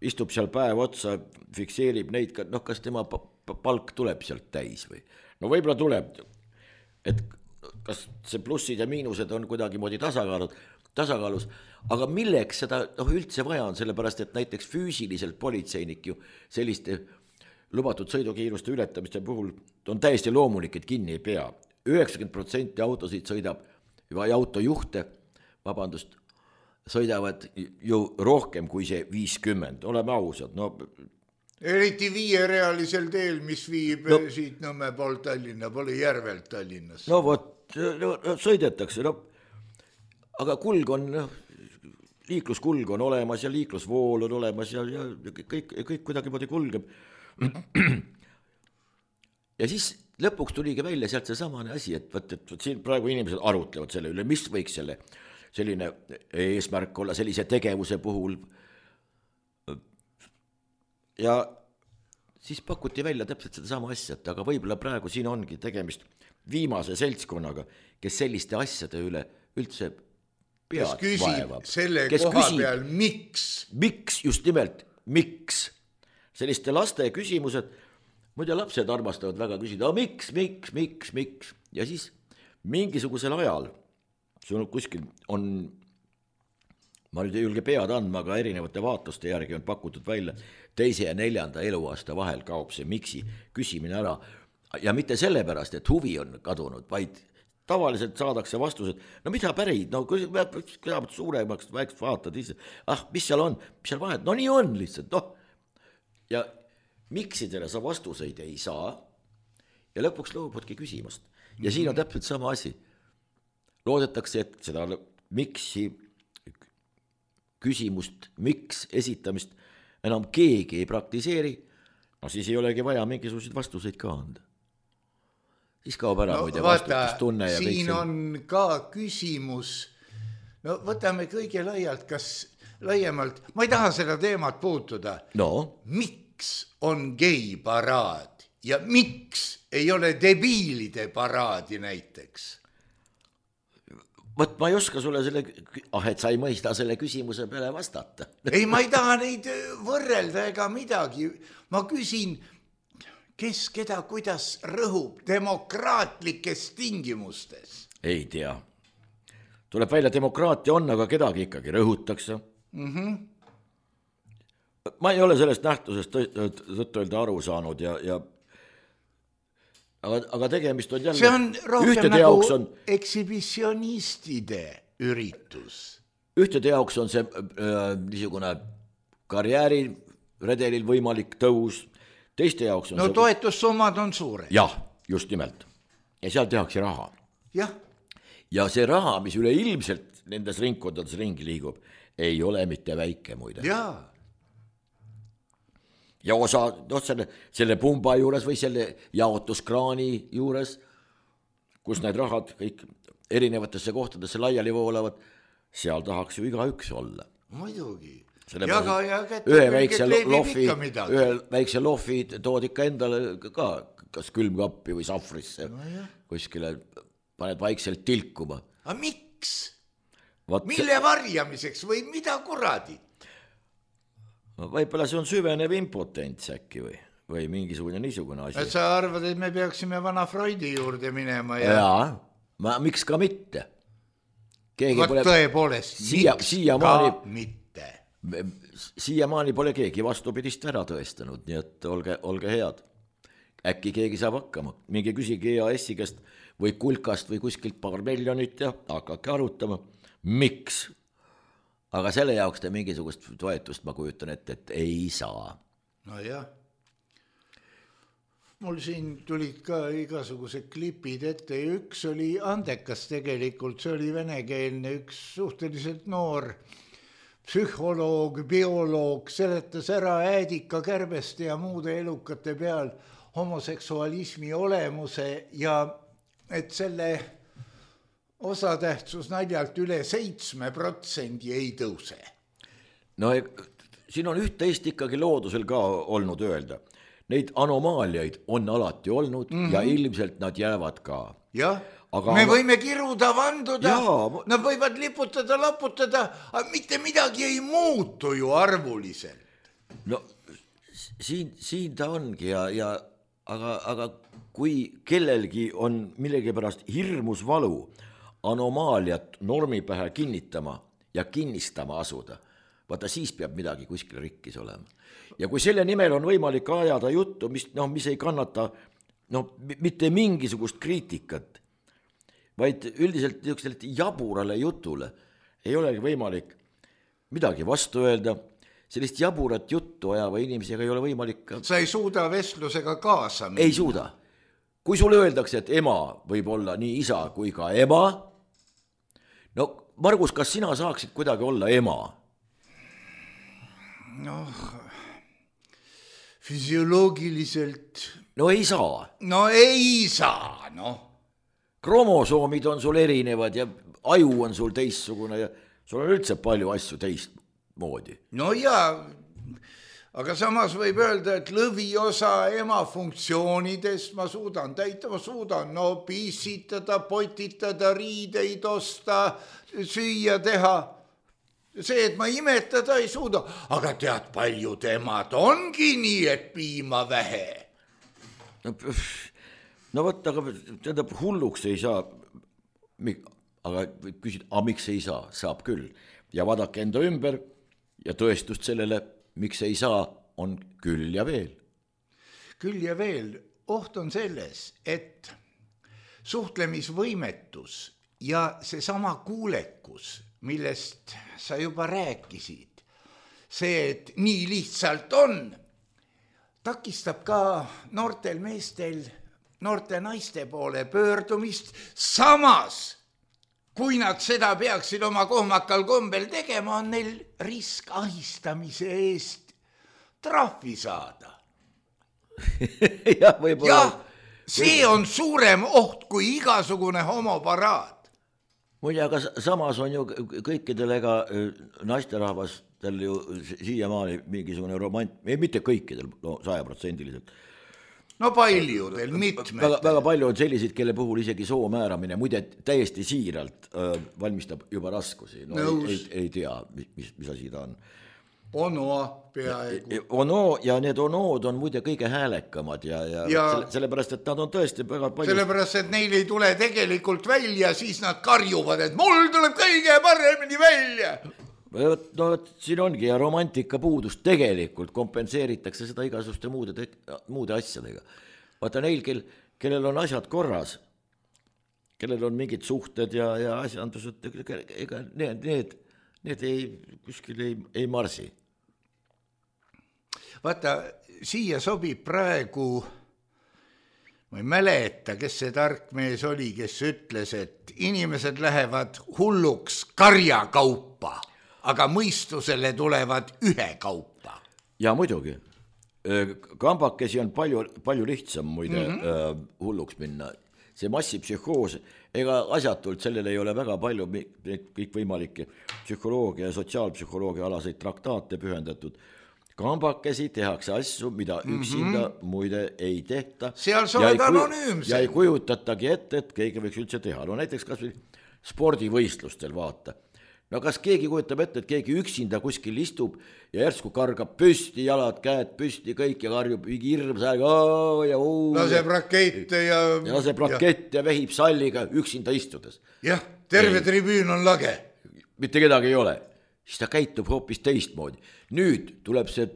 istub seal päev otsa, fikseerib neid, noh, kas tema palk tuleb sealt täis või, no võib-olla tuleb, et kas see plussid ja miinused on kuidagi moodi tasakaalud, tasakaalus, aga milleks seda noh, üldse vaja on, sellepärast, et näiteks füüsiliselt politseinik ju selliste lubatud sõidukiiruste ületamiste puhul on täiesti loomulik, et kinni ei pea. üheksakümmend protsenti autosid sõidab või autojuhte, vabandust, sõidavad ju rohkem kui see viiskümmend, oleme ausad, no eriti viierealisel teel, mis viib no, siit Nõmme poolt Tallinna, pole Järvelt Tallinnas. No vot, no, sõidetakse, no, aga kulg on, no, liikluskulg on olemas ja liiklusvool on olemas ja, ja kõik, kõik kuidagi moodi kulgeb. Ja siis lõpuks tuligi välja sealt see samane asi, et, võt, et, et siin praegu inimesed arutlevad selle üle, mis võiks selle selline eesmärk olla sellise tegevuse puhul. Ja siis pakuti välja täpselt seda sama asja, et aga võib-olla praegu siin ongi tegemist viimase seltskonnaga, kes selliste asjade üle üldse pead vaevab. Kes küsib selle kes koha küsib, peal, miks? Miks, just nimelt, miks? Selliste laste küsimused, muide lapsed armastavad väga küsida, miks, miks, miks, miks? Ja siis mingisugusel ajal, see on kuskil on, ma nüüd ei julge pead andma, aga erinevate vaatuste järgi on pakutud välja, teise ja neljanda eluaasta vahel kaob see miksi küsimine ära. Ja mitte sellepärast, et huvi on kadunud, vaid tavaliselt saadakse vastused, no mida pärid, no kõigepealt suuremaks väikest vaatad ise, ah, mis seal on, mis seal vahet, no nii on lihtsalt, noh. Ja miksidele sa vastuseid ei saa ja lõpuks loobudki küsimast. Ja siin on täpselt sama asi. Loodetakse, et seda miksi küsimust, miks esitamist enam keegi ei praktiseeri, no siis ei olegi vaja mingisuguseid vastuseid ka anda. Siis kaob ära no, muide vastutustunne. Ja siin on ka küsimus, no võtame kõige laialt, kas laiemalt, ma ei taha seda teemat puutuda. No. Miks on geiparaad ja miks ei ole debiilide paraadi näiteks? Võt ma ei oska sulle selle, ah, et sa ei mõista selle küsimuse peale vastata. Ei, ma ei taha neid võrrelda ega midagi. Ma küsin, kes keda kuidas rõhub demokraatlikes tingimustes? Ei tea. Tuleb välja, demokraatia on, aga kedagi ikkagi rõhutakse. Mm-hmm. Ma ei ole sellest nähtusest tõtt öelda aru saanud ja, ja aga, aga tegemist on jälle see on rohkem nagu on, ekshibitsionistide üritus. Ühtede jaoks on see äh, niisugune karjääriredelil võimalik tõus, teiste jaoks on no see... toetussummad on suured. Jah, just nimelt. Ja seal tehakse raha. Jah. Ja see raha, mis üle ilmselt nendes ringkondades ringi liigub, ei ole mitte väike muide. Jaa. Ja osa, no selle, selle pumba juures või selle jaotuskraani juures, kus need rahad kõik erinevatesse kohtadesse laiali voolavad, seal tahaks ju iga üks olla. Muidugi. Jaga ja kätte, ühe väikse lofi, ühe väikse lofi tood ikka endale ka, kas külmkappi või safrisse, no kuskile paned vaikselt tilkuma. A miks? Vaat mille varjamiseks või mida kuradi? Võib-olla see on süvenev impotents äkki või, või mingisugune niisugune asi. Et sa arvad, et me peaksime vana Freudi juurde minema? Ja, ja ma, miks ka mitte? Keegi Vaat pole, tõepoolest, siia, miks siia ka maani, mitte? Siiamaani pole keegi vastupidist ära tõestanud, nii et olge, olge head. Äkki keegi saab hakkama. Mingi küsigi E A S-i käest või kulkast või kuskilt paar miljonit ja hakake arutama. Miks? Aga selle jaoks te mingisugust toetust ma kujutan ette, et ei saa. No jah. Mul siin tulid ka igasugused klipid ette ja üks oli andekas tegelikult, see oli venekeelne, üks suhteliselt noor psühholoog, bioloog, seletas ära äädika, kärbeste ja muude elukate peal homoseksualismi olemuse ja et selle osatähtsus naljalt üle seitsme protsendi ei tõuse. No siin on üht-teist ikkagi loodusel ka olnud öelda. Neid anomaaliaid on alati olnud mm-hmm. ja ilmselt nad jäävad ka. Jah, aga me võime kiruda, vanduda, jaa, nad võivad liputada, laputada, aga mitte midagi ei muutu ju arvuliselt. No siin, siin ta ongi ja, ja aga, aga kui kellelgi on millegipärast hirmus valu anomaaliat normi pähe kinnitama ja kinnistama asuda, vaata siis peab midagi kuskil rikkis olema. Ja kui selle nimel on võimalik ajada juttu, mis, no, mis ei kannata no, mitte mingisugust kriitikat, vaid üldiselt niisugusele jaburale jutule ei olegi võimalik midagi vastu öelda, sellist jaburat juttu ajava inimesega ei ole võimalik ka... Sa ei suuda vestlusega kaasa minna. Ei suuda. Kui sulle öeldakse, et ema võib olla nii isa kui ka ema, no Margus, kas sina saaksid kuidagi olla ema? Noh, füsioloogiliselt... No ei saa. No ei saa, noh. Kromosoomid on sul erinevad ja aju on sul teistsugune ja sul on üldse palju asju teistmoodi. No jaa, aga samas võib öelda, et lõviosa ema funktsioonidest ma suudan täita, ma suudan no pissitada, potitada, riideid osta, süüa teha. See, et ma imetada ei suuda, aga tead, paljud emad ongi nii, et piima vähe. No, no võt, aga tähendab, hulluks ei saa, aga küsid, a miks ei saa, saab küll. Ja vaadake enda ümber ja tõestust sellele, miks ei saa, on küll ja veel. Küll ja veel, oht on selles, et suhtlemisvõimetus ja seesama kuulekus, millest sa juba rääkisid, see, et nii lihtsalt on, takistab ka noortel meestel, noorte naiste poole pöördumist, samas, kui nad seda peaksid oma kohmakal kombel tegema, on neil risk ahistamise eest trahvi saada. ja, võib-olla... ja see on suurem oht kui igasugune homoparaad. Muide, aga samas on ju kõikidel ega naisterahvastel ju siiamaani mingisugune romant, ei mitte kõikidel, no sajaprotsendiliselt. No paljudel, mitmed. Väga, väga palju on selliseid, kelle puhul isegi soo määramine, muide täiesti siiralt äh, valmistab juba raskusi. No ei, ei, ei tea, mis, mis asi ta on. Ono peaaegu. Ono ja need onood on muide kõige häälekamad ja, ja, ja selle, sellepärast, et nad on tõesti väga palju... Sellepärast, et neil ei tule tegelikult välja, siis nad karjuvad, et mul tuleb kõige paremini välja. No siin ongi ja romantika puudust tegelikult kompenseeritakse seda igasuste muude, muude asjadega. Vaata neil, kel, kellel on asjad korras, kellel on mingid suhted ja, ja asjandused, ega need, need, need ei, kuskil ei, ei marsi. Vaata, siia sobib praegu, ma ei mäleta, kes see tark mees oli, kes ütles, et inimesed lähevad hulluks karjakaupa, aga mõistusele tulevad ühe kaupa. Ja muidugi. Kambakesi on palju, palju lihtsam muide mm-hmm. hulluks minna. See massipsühhoos, ega asjatult sellele ei ole väga palju kõik võimalikke psühholoogia ja sotsiaalpsühholoogia alaseid traktaate pühendatud. Kambakesi tehakse asju, mida üksinda mm-hmm. muide ei tehta. Seal sa oled anonüümsed. Ja ei kujutatagi ette, et keegi võiks üldse teha. No näiteks kas või spordivõistlustel vaata. No kas keegi kujutab ette, et keegi üksinda kuskil istub ja järsku kargab püsti, jalad, käed püsti, kõik ja karjub hirm sääga ja oo. Laseb rakette ja... ja laseb rakette ja, ja vehib salliga üksinda istudes. Jah, terve ei. Tribüün on lage. Mitte kedagi ei ole. Siis ta käitub hoopis teistmoodi. Nüüd tuleb see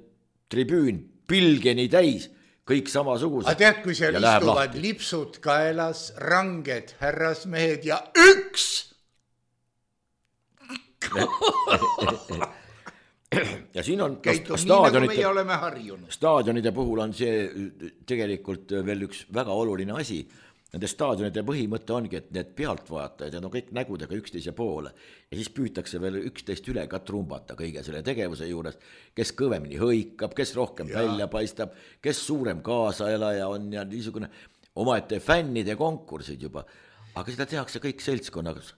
tribüün pilgeni täis, kõik samasugused. A tead, kui seal istuvad lahti. Lipsud kaelas, ranged härrasmehed ja üks! ja siin on käitub staadionite, nii, nagu meie oleme harjunud. Staadionide puhul on see tegelikult veel üks väga oluline asi. Nende staadionide põhimõte ongi, et need pealtvaatajad ja no kõik nägudega üksteise poole ja siis püütakse veel üksteist üle ka trumbata kõige selle tegevuse juures, kes kõvemini hõikab, kes rohkem ja. Välja paistab, kes suurem kaasaelaja on ja niisugune omaette fännide konkursid juba, aga seda tehakse kõik seltskonnas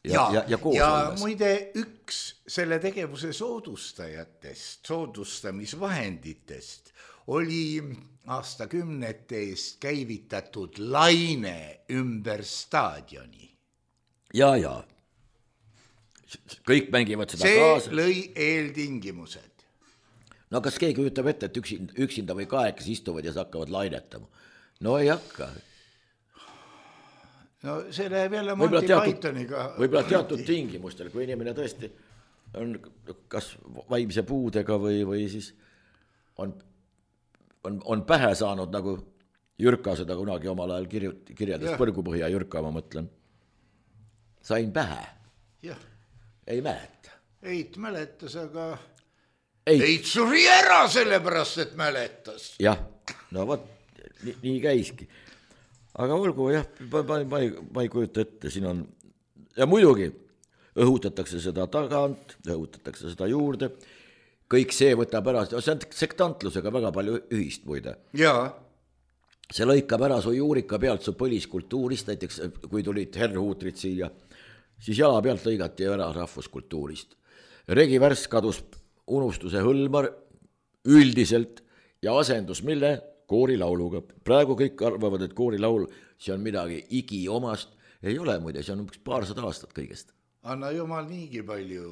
ja, ja, ja, ja koos ja olles. Muide üks selle tegevuse soodustajatest, soodustamisvahenditest oli aastakümnete eest käivitatud laine ümber staadioni. Ja, ja. Kõik mängivad seda see kaasa. See lõi eeltingimused. No kas keegi ütleb ette, et üksinda, üksinda või kahekesi istuvad ja hakkavad lainetama? no ei hakka. No see läheb jälle Monty Pythoniga. Võib-olla teatud tingimustel, kui inimene tõesti on kas vaimse puudega või, või siis on, on, on pähe saanud, nagu Jürka seda kunagi omal ajal kirju- kirjeldas, Põrgupõhja Jürka, ma mõtlen. Sain pähe. Jah. Ei mäleta. Eit mäletas, aga Eit, Eit suri ära sellepärast, et mäletas. jah, no võt, nii, nii käiski. Aga olgu, jah, ma, ma, ma, ei, ma ei kujuta ette, siin on, ja muidugi õhutatakse seda tagant, õhutatakse seda juurde, kõik see võtab ära, see on sektantlusega väga palju ühist muide. Jaa. See lõikab ära su juurika pealt su põliskultuurist, näiteks kui tulid herrhuutrid siia, siis jala pealt lõigati ära rahvuskultuurist. Regi värss kadus unustuse hõlmar üldiselt ja asendus mille? Koorilauluga. Praegu kõik arvavad, et koorilaul, see on midagi igiomast. Ei ole muide, see on üks paarsada aastat kõigest. Anna jumal niigi palju.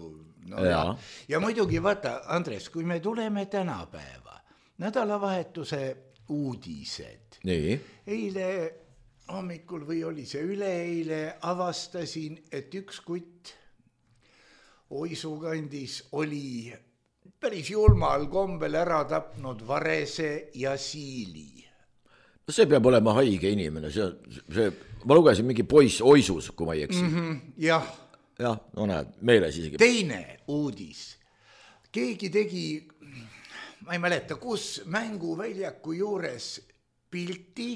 No, ja. ja. ja muidugi vaata, Andres, kui me tuleme tänapäeva, nädalavahetuse uudised. Nii. Eile hommikul või oli see üleeile avastasin, et üks kutt Oisu kandis oli päris julmal kombel ära tapnud varese ja siili. No see peab olema haige inimene, see, see, ma lugesin mingi poiss Oisus, kui ma ei eksi. Mm-hmm, jah. Jah, no näed, meeles isegi. Teine uudis. Keegi tegi, ma ei mäleta, kus mänguväljaku juures pilti,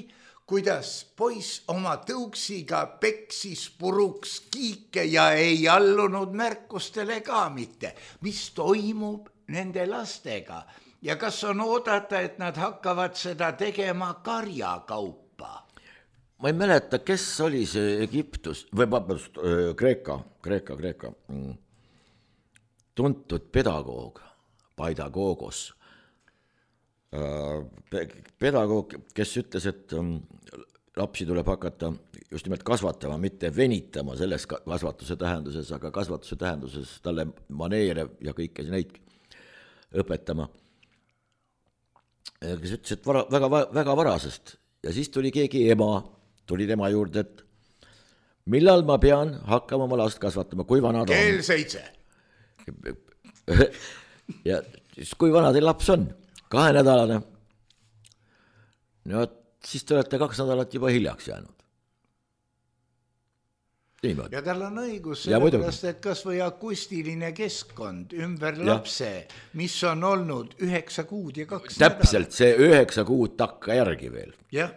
kuidas poiss oma tõuksiga peksis puruks kiike ja ei allunud märkustele ka mitte. Mis toimub nende lastega ja kas on oodata, et nad hakkavad seda tegema karjakaupa? Ma ei mäleta, kes oli see Egiptus, või vabandust, Kreeka, Kreeka, Kreeka, tuntud pedagoog, Paidagogos. Pedagoog, kes ütles, et lapsi tuleb hakata just nimelt kasvatama, mitte venitama selles kasvatuse tähenduses, aga kasvatuse tähenduses talle maneere ja kõike neid õpetama. Kes ütles, et vara, väga, väga varasest ja siis tuli keegi ema, tuli tema juurde, et millal ma pean hakkama oma last kasvatama, kui vana ta on? Kell seitse. Ja siis kui vana teil laps on? Kahenädalane. No siis te olete kaks nädalat juba hiljaks jäänud. Niimoodi. Ja tal on õigus, sellepärast, et kas või akustiline keskkond ümber ja. Lapse, mis on olnud üheksa kuud ja kaks nädalat. Täpselt, see üheksa kuud takka järgi veel. Jah,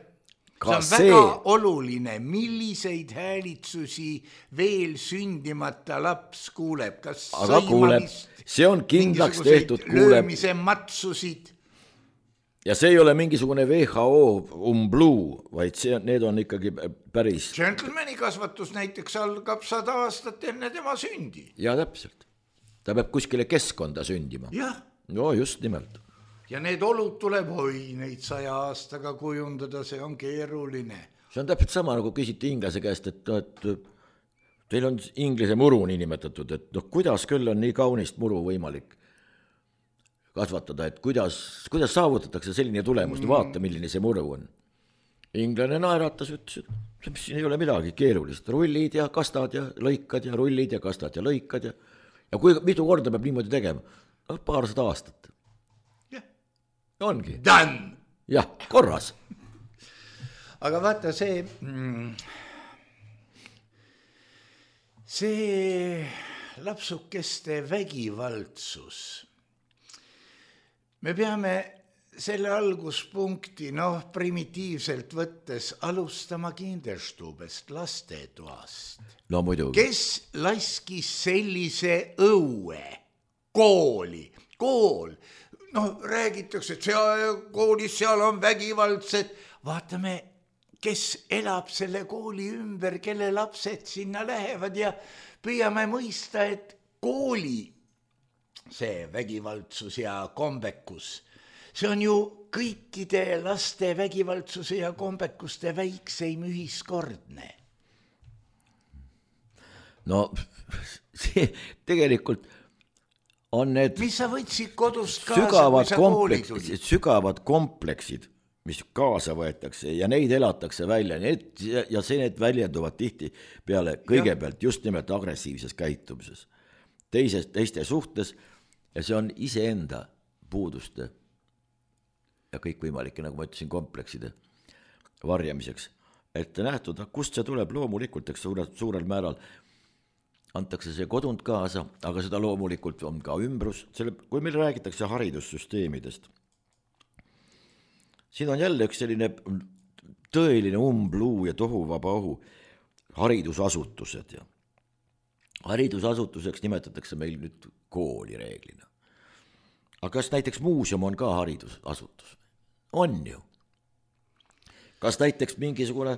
see on see... väga oluline, milliseid häälitsusi veel sündimata laps kuuleb. Kas aga kuuleb, see on kindlaks tehtud, kuuleb. Löömise matsusid. Ja see ei ole mingisugune V H O umbluu, vaid see, need on ikkagi päris... Gentlemani kasvatus näiteks algab sada aastat enne tema sündi. Ja täpselt. Ta peab kuskile keskkonda sündima. Jah. No just nimelt. Ja need olud tuleb hoi neid saja aastaga kujundada, see on keeruline. See on täpselt sama, nagu küsiti inglase käest, et, et teil on inglise muru nii nimetatud, et no, kuidas küll on nii kaunist muru võimalik kasvatada, et kuidas, kuidas saavutatakse selline tulemus, vaata milline see muru on. Inglane naeratas, ütles, et siin ei ole midagi keerulist, rullid ja kastad ja lõikad ja rullid ja kastad ja lõikad ja, ja kui mitu korda peab niimoodi tegema? No, paarsada aastat. Jah. Ongi. Done. Jah, korras. Aga vaata see, see lapsukeste vägivaldsus. Me peame selle alguspunkti, noh, primitiivselt võttes alustama Kinderstubest, lastetoast. No muidugi. Kes laskis sellise õue kooli? Kool. Noh, räägitakse, et seal, koolis seal on vägivaldsed. Vaatame, kes elab selle kooli ümber, kelle lapsed sinna lähevad ja püüame mõista, et kooli see vägivaldsus ja kombekus, see on ju kõikide laste vägivaldsuse ja kombekuste väikseim ühiskordne. No see tegelikult on need mis sa võtsid kodust kaasa, sügavad, kui sa kompleks, kooli tulid? sügavad kompleksid, mis kaasa võetakse ja neid elatakse välja need, ja see need väljenduvad tihti peale kõigepealt just nimelt agressiivses käitumises, teises, teiste suhtes ja see on iseenda puuduste ja kõikvõimalike, nagu ma ütlesin, komplekside varjamiseks ette nähtud, kust see tuleb loomulikult, eks suurel, suurel määral antakse see kodunt kaasa, aga seda loomulikult on ka ümbrus, selle, kui meil räägitakse haridussüsteemidest, siin on jälle üks selline tõeline umbluu ja tohuvabaohu haridusasutused ja haridusasutuseks nimetatakse meil nüüd kooli reeglina. Aga kas näiteks muuseum on ka haridusasutus? On ju. Kas näiteks mingisugune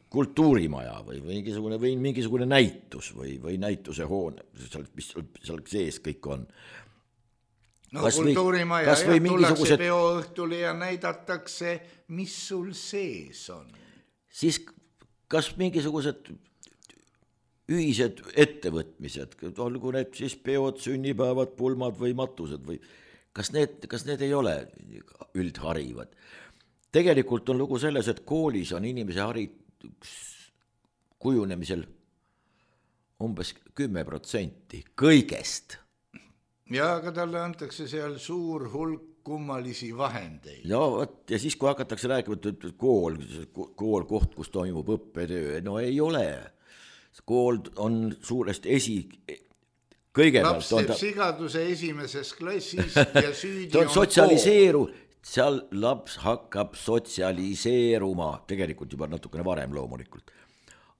kultuurimaja või mingisugune, või mingisugune näitus või, või näituse hoone, mis seal sees kõik on. No kas kultuurimaja ja tullakse mingisugused... peoõhtule ja näidatakse, mis sul sees on. Siis kas mingisugused ühised ettevõtmised, olgu need siis peod, sünnipäevad, pulmad või matused või kas need, kas need ei ole üldharivad? Tegelikult on lugu selles, et koolis on inimese haridus kujunemisel umbes kümme protsenti kõigest. Ja, aga talle antakse seal suur hulk kummalisi vahendeid. Ja, ja siis kui hakatakse rääkima, et kool, kool koht, kus toimub õppetöö, no ei ole. Kool on suuresti esi... Kõigepealt laps teeb ta... sigaduse esimeses klassis ja süüdi on, on sotsialiseeru, seal laps hakkab sotsialiseeruma, tegelikult juba natukene varem loomulikult.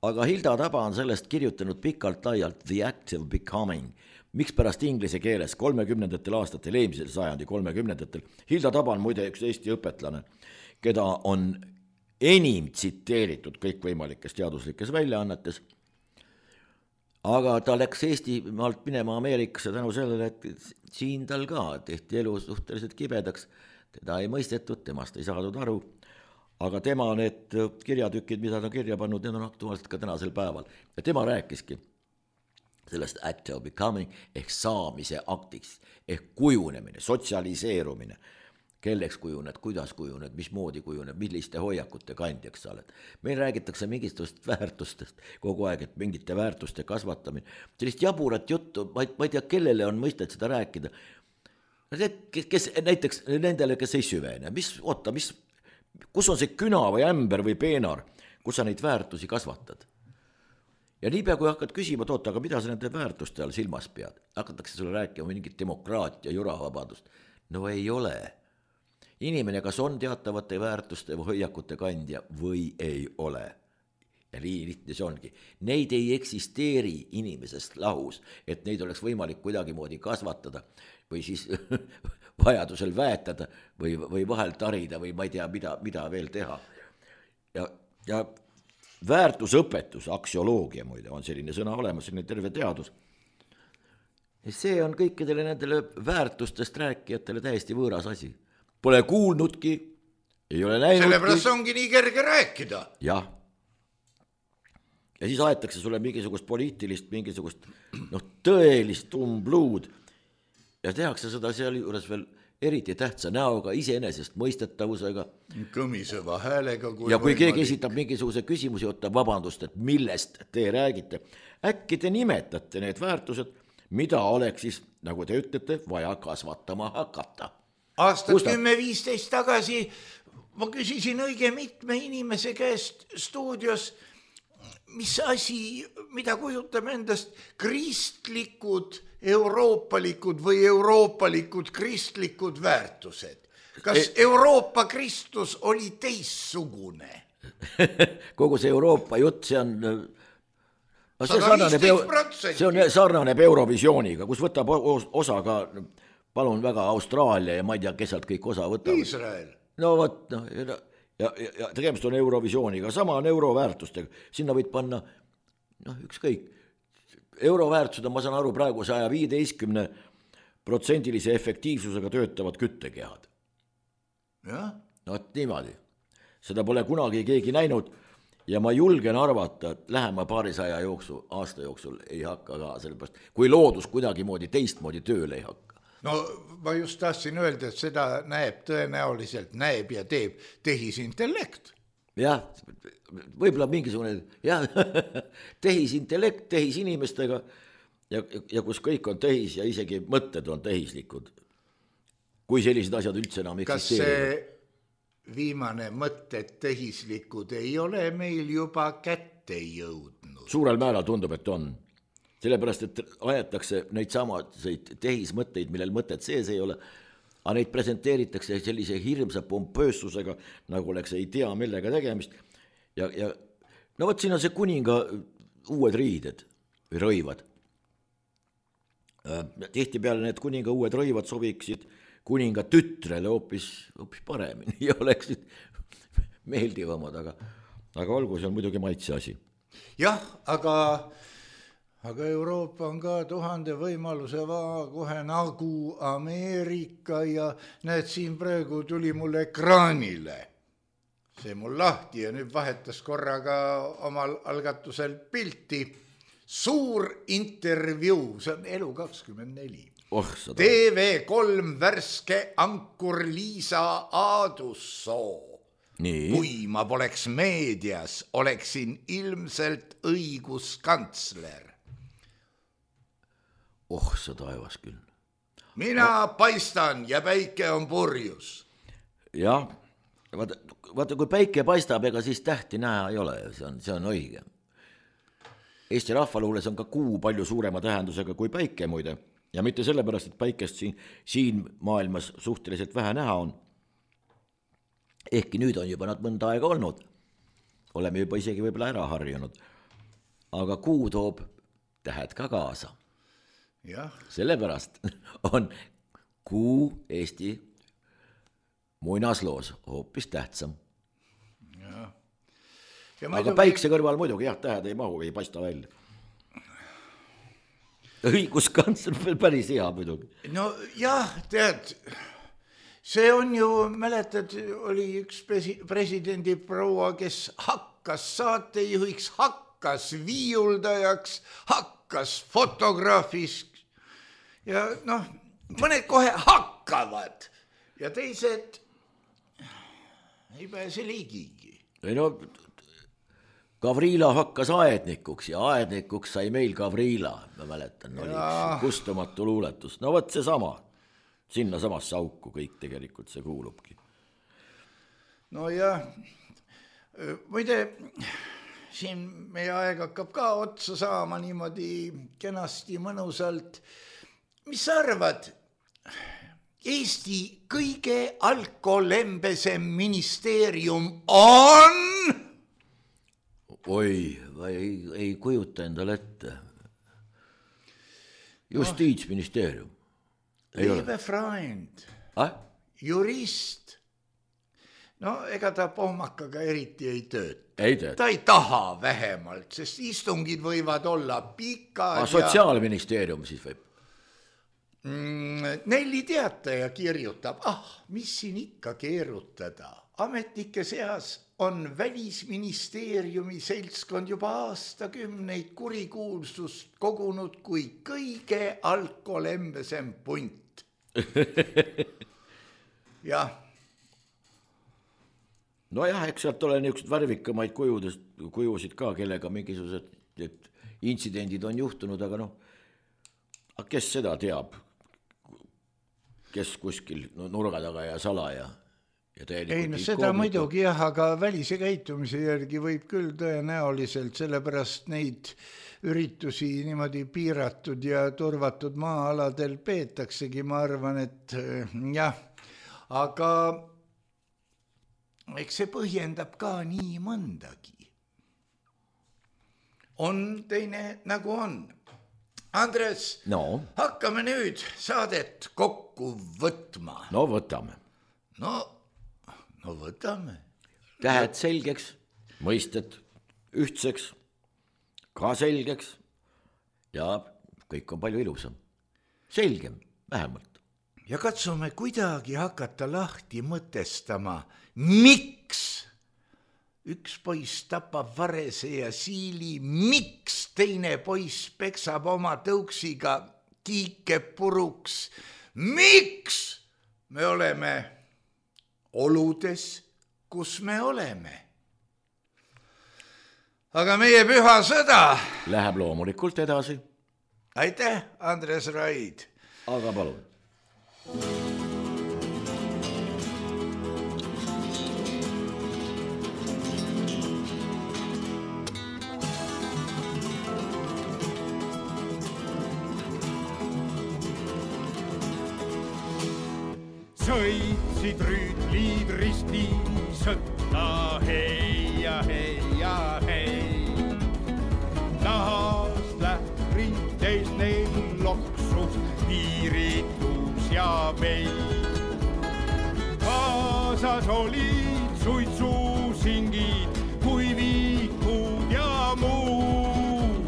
Aga Hilda Taba on sellest kirjutanud pikalt laialt The Active Becoming. Miks pärast inglise keeles kolmekümnendatel aastatel, eelmisel sajandi kolmekümnendatel, Hilda Taba on muide üks Eesti õpetlane, keda on enim tsiteeritud kõikvõimalikes teaduslikes väljaannetes, aga ta läks Eesti maalt minema Ameerikasse tänu sellele, et siin tal ka tehti elu suhteliselt kibedaks, teda ei mõistetud, temast ei saadud aru, aga tema need kirjatükid, mida ta on kirja pannud, need on aktuaalselt ka tänasel päeval. Ja tema rääkiski sellest active becoming ehk saamise aktiks, ehk kujunemine, sotsialiseerumine, kelleks kujuned, kuidas kujuned, mismoodi kujuned, milliste hoiakute kandjaks sa oled. Meil räägitakse mingitest väärtustest kogu aeg, et mingite väärtuste kasvatamine. Sellist jaburat juttu, ma ei, ma ei tea, kellele on mõistet seda rääkida. Kes, kes, näiteks nendele, kes ei süvene, mis, oota, mis, kus on see küna või ämber või peenar, kus sa neid väärtusi kasvatad? Ja niipea, kui hakkad küsima, toota, aga mida sa nende väärtuste all silmas pead? Hakatakse sulle rääkima mingit demokraatia, juravabadust. No ei ole. Inimene kas on teatavate väärtuste või hoiakute kandja või ei ole. Ja nii lihtne see ongi. Neid ei eksisteeri inimesest lahus, et neid oleks võimalik kuidagimoodi kasvatada või siis vajadusel väetada või, või vahel tarida või ma ei tea, mida, mida veel teha. Ja, ja väärtusõpetus, aksioloogia muide, on selline sõna olemas, selline terve teadus. Ja see on kõikidele nendele väärtustest rääkijatele täiesti võõras asi. Pole kuulnudki, ei ole näinudki. Sellepärast ongi nii kerge rääkida. Jah. Ja siis aetakse sulle mingisugust poliitilist, mingisugust noh, tõelist umbluud ja tehakse seda seal juures veel eriti tähtsa näoga, iseenesest mõistetavusega. Kõmiseva häälega. Kui ja kui võimalik. Keegi esitab mingisuguse küsimusi, otta vabandust, et millest te räägite, äkki te nimetate need väärtused, mida oleks siis, nagu te ütlete, vaja kasvatama hakata. Aastat kümme viisteist tagasi ma küsisin õige mitme inimese käest stuudios, mis asi, mida kujutame endast kristlikud, euroopalikud või euroopalikud kristlikud väärtused. Kas Euroopa Kristus oli teissugune? Kogu see Euroopa jutt, see on, see sarnaneb, see on sarnaneb Eurovisiooniga, kus võtab osa ka, palun väga, Austraalia ja ma ei tea, kes sealt kõik osa võtab. Iisrael. No võt, no, ja, ja, ja tegemist on Eurovisiooniga, sama on euroväärtustega, sinna võid panna, noh, ükskõik. Euroväärtused on, ma saan aru, praegu saja viieteistkümne protsendilise efektiivsusega töötavad küttekehad. Ja? No, et niimoodi. Seda pole kunagi keegi näinud ja ma julgen arvata, et lähema paarisaja jooksul, aasta jooksul ei hakka ka sellepärast, kui loodus kuidagi moodi teistmoodi tööle ei hakka. no ma just tahtsin öelda, et seda näeb tõenäoliselt, näeb ja teeb tehisintellekt. jah, võib-olla mingisugune jah, tehisintellekt tehisinimestega ja, ja kus kõik on tehis ja isegi mõtted on tehislikud. Kui sellised asjad üldse enam eksisteerivad. Kas see viimane mõtted tehislikud ei ole meil juba kätte jõudnud? Suurel määral tundub, et on. Sellepärast, et ajatakse neid samaseid tehismõtteid, millel mõtted sees ei ole, aga neid presenteeritakse sellise hirmsa pompöössusega, nagu oleks ei tea millega tegemist. Ja, ja no võt siin on see kuninga uued riided või rõivad. Tihti peale need kuninga uued rõivad sobiksid kuninga tütrele hoopis, hoopis paremini ja oleksid meeldivamad, aga, aga olgu, see on muidugi maitse asi. Jah, aga, aga Euroopa on ka tuhande võimaluse vaa kohe nagu Ameerika ja näed, siin praegu tuli mul ekraanile. See mul lahti ja nüüd vahetas korraga omal algatusel pilti. Suur intervjuu, see on Elu kakskümmend neli. Oh, T V kolm värske ankur Liisa Aadussoo. Nii. Kui ma poleks meedias, oleksin ilmselt õiguskantsler. Oh, sa taevas küll. Mina no. paistan ja päike on purjus. Jah, vaata, vaata, kui päike paistab, ega siis tähti näha ei ole, see on, see on õige. Eesti rahvaluules on ka kuu palju suurema tähendusega kui päike muide. Ja mitte sellepärast, et päikest siin, siin maailmas suhteliselt vähe näha on. Ehkki nüüd on juba nad mõnda aega olnud. Oleme juba isegi võib-olla ära harjunud. Aga kuu toob tähed ka kaasa. Ja. Sellepärast on kuu Eesti muinasloos hoopis tähtsam. Ja. Ja aga päikse kõrval muidugi, jah, tähed ei mahu, ei paista välja. Õiguskantsler veel päris hea muidugi. No jah, tead, see on ju, mäletad, oli üks presidendi proua, kes hakkas saatejuhiks, hakkas viiuldajaks, hakkas fotograafis ja noh, mõned kohe hakkavad ja teised ei pääse liigigi. Ei no, Gavrila hakkas aednikuks ja aednikuks sai meil Gavrila, ma mäletan, oli üks kustumatu luuletus. No võt see sama, sinna samasse auku kõik tegelikult see kuulubki. No ja, muide, siin meie aeg hakkab ka otsa saama niimoodi kenasti mõnusalt. Mis sa arvad, Eesti kõige alkolembesem ministeerium on... Oi, ei, ei kujuta endale ette. Justiitsministeerium. Liebe Freund, ah? Jurist. No ega ta pohmakaga eriti ei tööta. Ei tööta. Ta ei taha vähemalt, sest istungid võivad olla pikad. Ah, sotsiaalministeerium siis võib? Nelli teataja kirjutab, ah, mis siin ikka keerutada. Ametnike seas on Välisministeeriumi seltskond juba aastakümneid kurikuulsust kogunud kui kõige alkolembesem punt. Jah. No jah, eks sealt ole niisugused värvikamaid kujudest, kujusid ka, kellega mingisugused intsidendid on juhtunud, aga noh, kes seda teab? Kes kuskil nurga taga ja salaja? Ei, no seda muidugi jah, aga välise käitumise järgi võib küll tõenäoliselt, sellepärast neid üritusi niimoodi piiratud ja turvatud maa-aladel peetaksegi, ma arvan, et jah, aga eks see põhjendab ka nii mõndagi. On teine nagu on. Andres, no. Hakkame nüüd saadet kokku võtma. No võtame. No, no võtame. Tähed selgeks, mõisted ühtseks, ka selgeks ja kõik on palju ilusam. Selgem, vähemalt. Ja katsume kuidagi hakata lahti mõtestama, miks üks poiss tapab varese ja siili, miks teine poiss peksab oma tõuksiga kiike puruks, miks me oleme oludes, kus me oleme. Aga meie püha sõda läheb loomulikult edasi. Aitäh, Andres Raid. Aga palun. Sõitsid rüütlid risti sõtta, hei ja hei ja hei. Nahast lährinteis neil loksus, piiritus ja vei. Kaasas olid suitsusingid, kuivikud ja muud.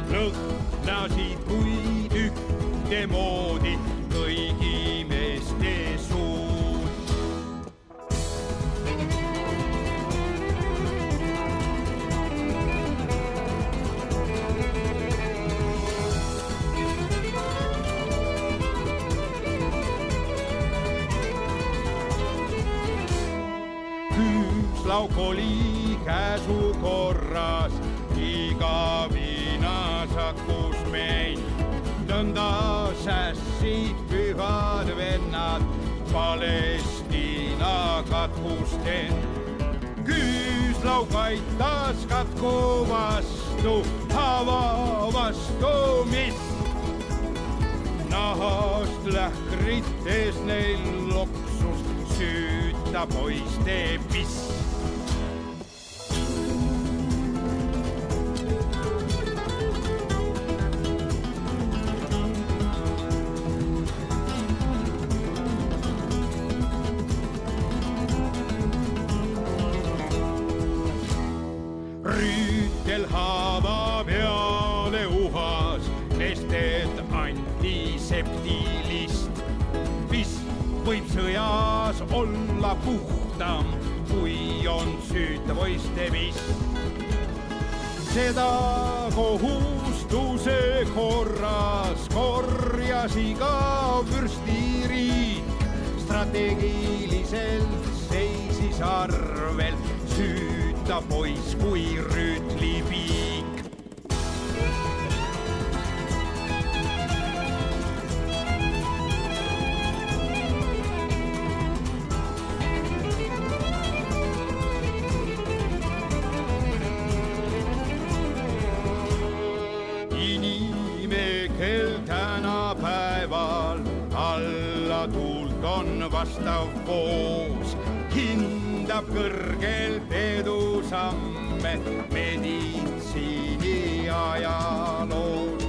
Lõhnasid kuid ühte moodi kõigi meeste suud. Küüslauk oli käsu korras, iga viinasakus meil. Nõnda sässid pühad vennad Palestiina katkusten. Küüslauk aitas katku vastu, hava vastu, mis nahast lähkrites neil loksus, süüta poiste piss. Rüütel haava peale uhas, nested antiseptilist. Mis võib sõjas olla puhtam, kui on süüta poiste vist. Seda kohustuse korras korjas iga vürstiriik. Strateegiliselt seisis arvel süüta pois kui rüütli piik. Inimekel tänapäeval alla tuult on vastav poos. Hindab kõrgelt edusamme meditsiini ajaloos.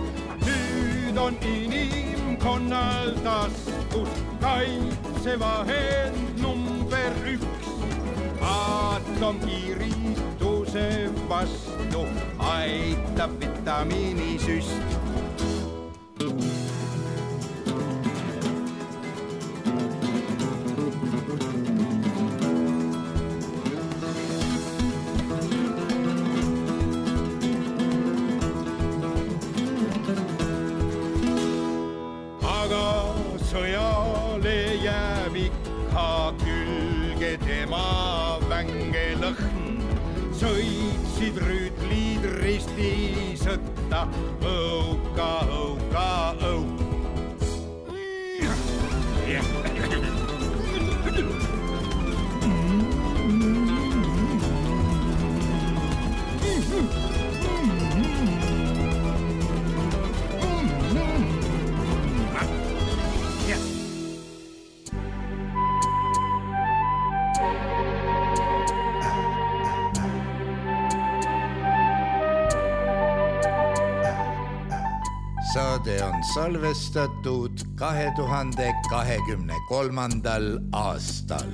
Nüüd on inimkonnal taskus kaitsevahend number üks. Atomkiirituse vastu aitab vitamiinisüst. Sõjale jääb ikka külge tema vänge lõhn. Sõitsid rüütlid risti sõtta, õuka, õuka, õuk. Saade on salvestatud kahe tuhande kahekümne kolmandal aastal.